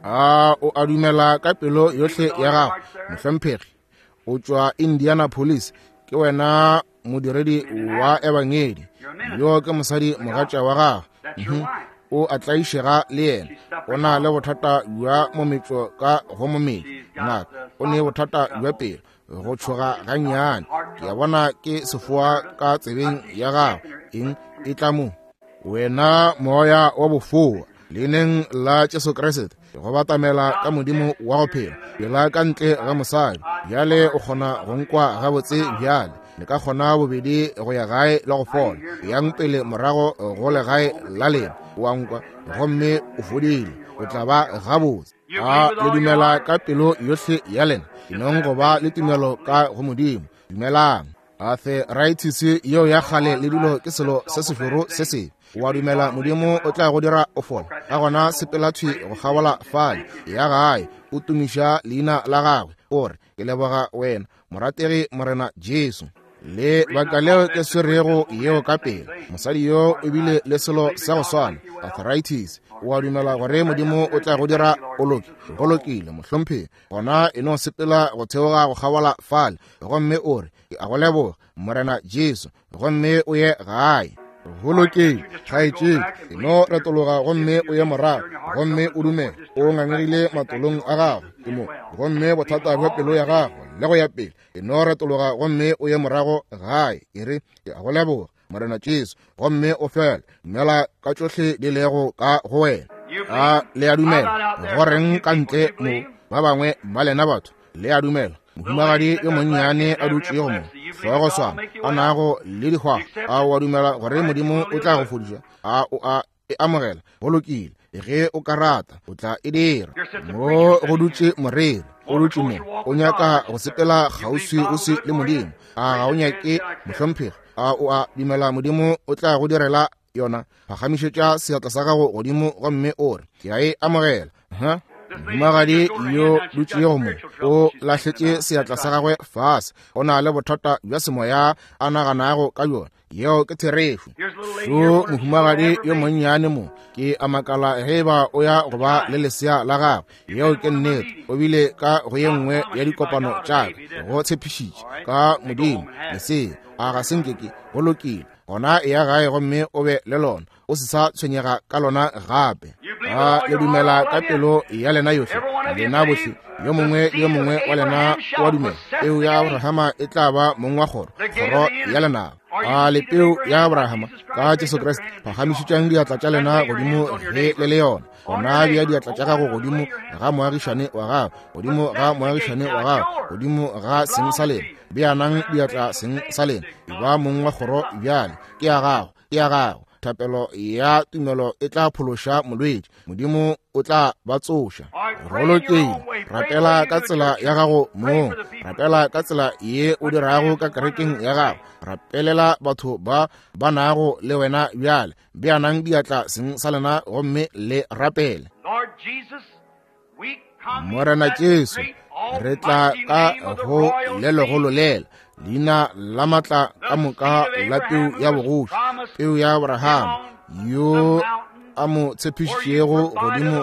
A o a dumela ka pelo yohle ya gago, mohlomphegi? O tšwa Indianapolis. Ke wena modiredi wa ebangedi. Yo ke mosadi mogatša wa gago. O a tlaišega le yena. O na le bothata bja mometšo ka go mometšo. Ngaka, o ne bothata bja pelo, go tšhoga gannyane. Ke a bona ke sefoa ka tsebeng ya gago. Eng e tla mo? Wena moya wa bofoa, leineng la Jesu Kriste, go batamela ka Modimo wa go phela, pela ka ntle ga mosadi. Bjale o kgona go nkwa gabotse bjale. Le ka kgona bobedi go ya gae le go fola. Yang pele morago go legae la lena, o a nkwa, gomme o fodile. O tla ba gabotse. A le dumela ka pelo yohle ya lena? Enong go ba le tumelo ka go Modimo. Dumelang. Arthritis yeo ya kgale le dilo ke selo se sešoro se sebe. O a dumela Modimo o tla go dira o fola? Ka gona sepela thwi go kgabola fale, ya gae, o tumiša leina la gagwe, o re, Ke leboga wena, morategi Morena Jesu. Le baka leo ke swerego yeo ka pela. Mosadi yo o bile le selo sa go swana, arthritis. O a dumela gore Modimo o tla go dira o loke? Go lokile, mohlomphegi. Gona e no sepela go theoga go kgabola fale, gomme o re, Ke a go leboga, Morena Jesu, gomme o ye gae. Go lokile, kgaetšedi, e no retologa gomme o ye morago, gomme o dumele. O ngangegile matolong a gago, ke mo, gomme bothata bja pelo ya gago, le go ya pele. E no retologa gomme o ye morago gae, e re, Ke a go leboga, Morena Jesu, gomme o fele. Dumela ka tšohle di lego ka go wena. A le a dumela? Go reng ka ntle mo, ba bangwe ba lena batho, le a dumela? Mohumagadi yo monnyane a dutšego mo, hlogo swana, a nago le dihwago, a o a dumela gore Modimo o tla go fodiša? A o a e amogela? Go lokile, ge o ka rata, o tla e dira. Mo go dutše moreri, o dutše mo, o nyaka go sepela kgauswi-uswi le Modimo. A ga o nyake, mohlomphegi? A o a dumela Modimo o tla go direla yona? Phagamišetša seatla sa gago godimo gomme o re, Ke a e amogela. Huh? Mohumagadi yo dutšego mo o lahletše seatla sa gagwe fase. O na le bothata bja semoya a naganago ka bjona. Yeo ke therešo. Šo mohumagadi yo monnyane mo, ke a makala ge eba o ya go ba le lesea la gagwe. Yeo ke nnete. O bile ka go ye nngwe ya dikopano tša ka, go tshepišitše ka Modimo lesea. A ga se nke ke? Go lokile. Gona eya gae gomme o be le lona. O se sa tshwenyega ka lona gape. A le dumela ka pelo ya lena yohle? Lena bohle, yo mongwe le yo mongwe wa lena o a dumela peu ya Abrahama e tla ba mong wa kgoro, kgoro ya lenaba. A le peu ya Abrahama ka Jesu Kriste? Phagamišetšang diatla tša lena godimo ge le le yona. Gona bea diatla tša gago godimo ga moagišane wa gago, godimo ga moagišane wa gago, godimo ga seng sa lena. Beanang diatla seng sa lena. E ba mong wa kgoro bjale. Ke ya gago, ke ya gago. Thapelo ya tumelo e tla phološa molwetši. Modimo o tla ba tsoša. Go lokile. Rapela ka tsela ya gago mong. Rapela ka tsela ye o dirago ka kerekeng ya gago. Rapelela batho ba ba nago le wena bjale. Beanang diatla seng sa lena gomme le rapele. Morena Jesu, re tla ka go le legolo lela, leina la matla ka moka la peu ya bogoši, peu ya Abraham, yo a mo tshepišitšego godimo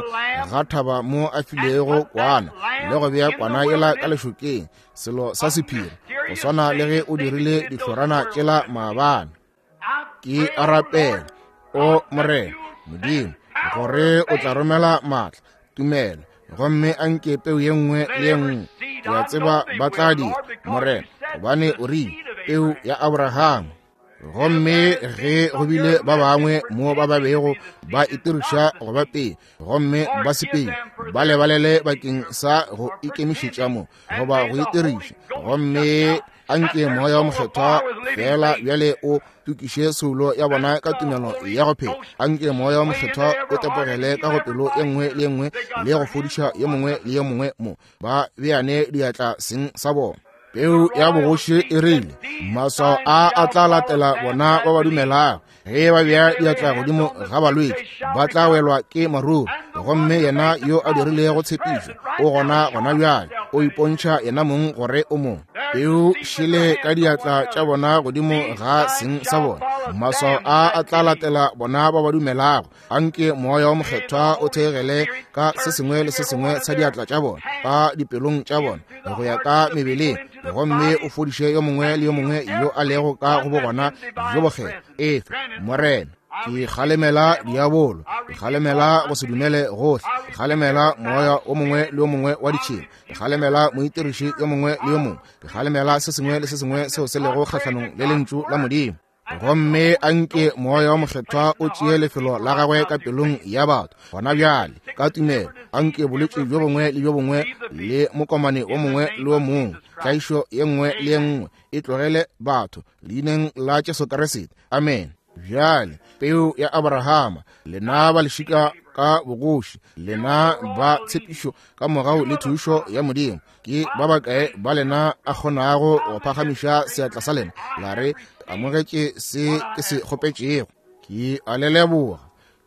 ga thaba mo a filego kwana, le go bea kwana yela ka lešokeng, selo sa sephiri, go swana le ge o dirile dihlorana tšela maabane. Ke a rapela, o Morena Modimo, gore o tla romela maatla, tumelo, gomme a nke peu ye nngwe le ye nngwe. Ke a tseba ba tla dira, Morena, gobane o rile peu ya Abraham. Gomme ge go bile ba bangwe mo ba ba bego ba itiriša go ba pele, gomme ba se pele, ba lebalele bakeng sa go ikemišetša mo goba go itiriša, gomme a nke Moya wa Mokgethwa feela bjale o tukiše soulo ya bona ka tumelo ya go phela. A nke Moya wa Mokgethwa o tepogele ka go pelo ye nngwe le ye nngwe le go fodiša yo mongwe le yo mongwe mo ba beane diatla seng sa bona. Peu ya bogoši e rile, maswao a a tla latela bona ba ba dumelago. Ge ba bea diatla godimo ga balwetši, ba tla welwa ke maruru. Gomme yena yo a dirilego tshepišo o gona gona bjale, o ipontšha yena mong gore o mo. Peu šele ka diatla tša bona godimo ga seng sa bona. Maswao a a tla latela bona ba ba dumelago. A nke Moya wa Mokgethwa o theegele ka se sengwe le se sengwe sa diatla tša bona, ka dipelong tša bona, go ya ka mebeleng, gomme o fodiše yo mongwe le yo mongwe yo a lego ka go bogona bjo bokgethwa. Efe, Morena. Ke kgalemela diabolo, ke kgalemela go se dumele gohle, ke kgalemela moya o mongwe le o mongwe wa ditšhila, ke kgalemela moitiriši yo mongwe le yo mongwe, ke kgalemela se sengwe le se sengwe seo se lego kgahlanong le Lentšu la Modimo. Gomme a nke Moya wo Mokgethwa o tšee lefelo la Gagwe ka pelong ya batho gona bjale, ka tumelo. A nke bolwetši bjo bongwe le bjo bongwe le mokomane wo mongwe le wo mongwe, tlaišo ye nngwe le ye nngwe, e tlogele batho, Leineng la Jesu Kriste. Amene. Bjale, peu ya Abrahama, lena ba lešika ka bogoši, lena ba tshepišo ka mogau le thušo ya Modimo, ke ba bakae ba lena a kgonago go phagamiša seatla sa lena la re, Amogetše se ke se kgopetšego? Ke a le leboga.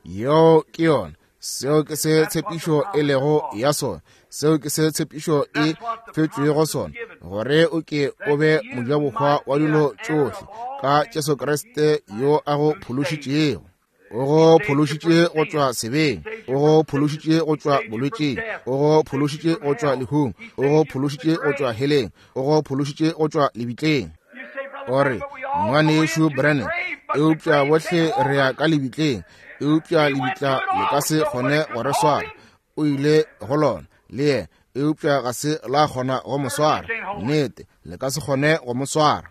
Yeo ke yona. Seo ke se tshepišo e lego ya sona. Seo ke se tshepišo e fetšwego sona, gore o ke o be mojabohwa wa dilo tšohle ka Jesu Kriste yo a go phološitšego. O go phološitše go tšwa sebeng, o go phološitše go tšwa bolwetšing, o go phološitše go tšwa lehung, o go phološitše go tšwa heleng, o go phološitše go tšwa lebitleng. O re, Ngwanešu Branham, eupša bohle re ya ka lebitleng, eupša lebitla le ka se kgone go re swara. O ile go lona le yena, eupša ga se la kgona go mo swara. Nnete, le ka se kgone go mo swara.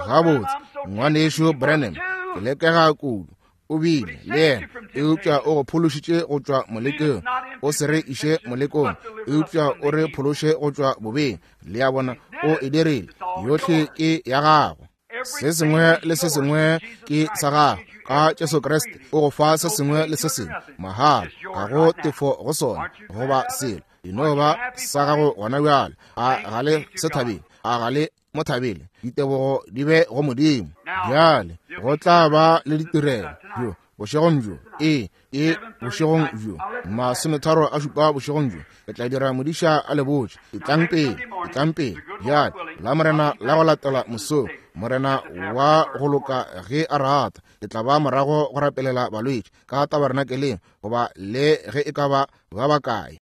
Gabotse, Ngwanešu Branham, ke lekega kudu. O bile le yena, eupša o go phološitše go tšwa molekong. O se re iše molekong, eupša o re phološe go tšwa bobeng. Le a bona, o e dirile. Yohle ke ya gago. Se sengwe le se sengwe ke sa gago. Ka Jesu Kriste o go fa se sengwe le se sengwe mahala, ga go tefo go sona goba selo. E no ba sa gago gona bjale. A ga le se thabele? A ga le mo thabele? Ditebogo di be go Modimo. Bjale go tla ba le ditirelo bjo bošegong bjo. Ee, ke bošegong bjo, 37 bošegong bjo. Ke tla dira modiša a le botše. Etlang pele, etlang pele. Bjale, la Morena la go latela mosong, Morena wa go loka ge a rata, ke tla ba morago go rapelela balwetši ka tabarenakeleng, goba le ge e ka ba ba bakae.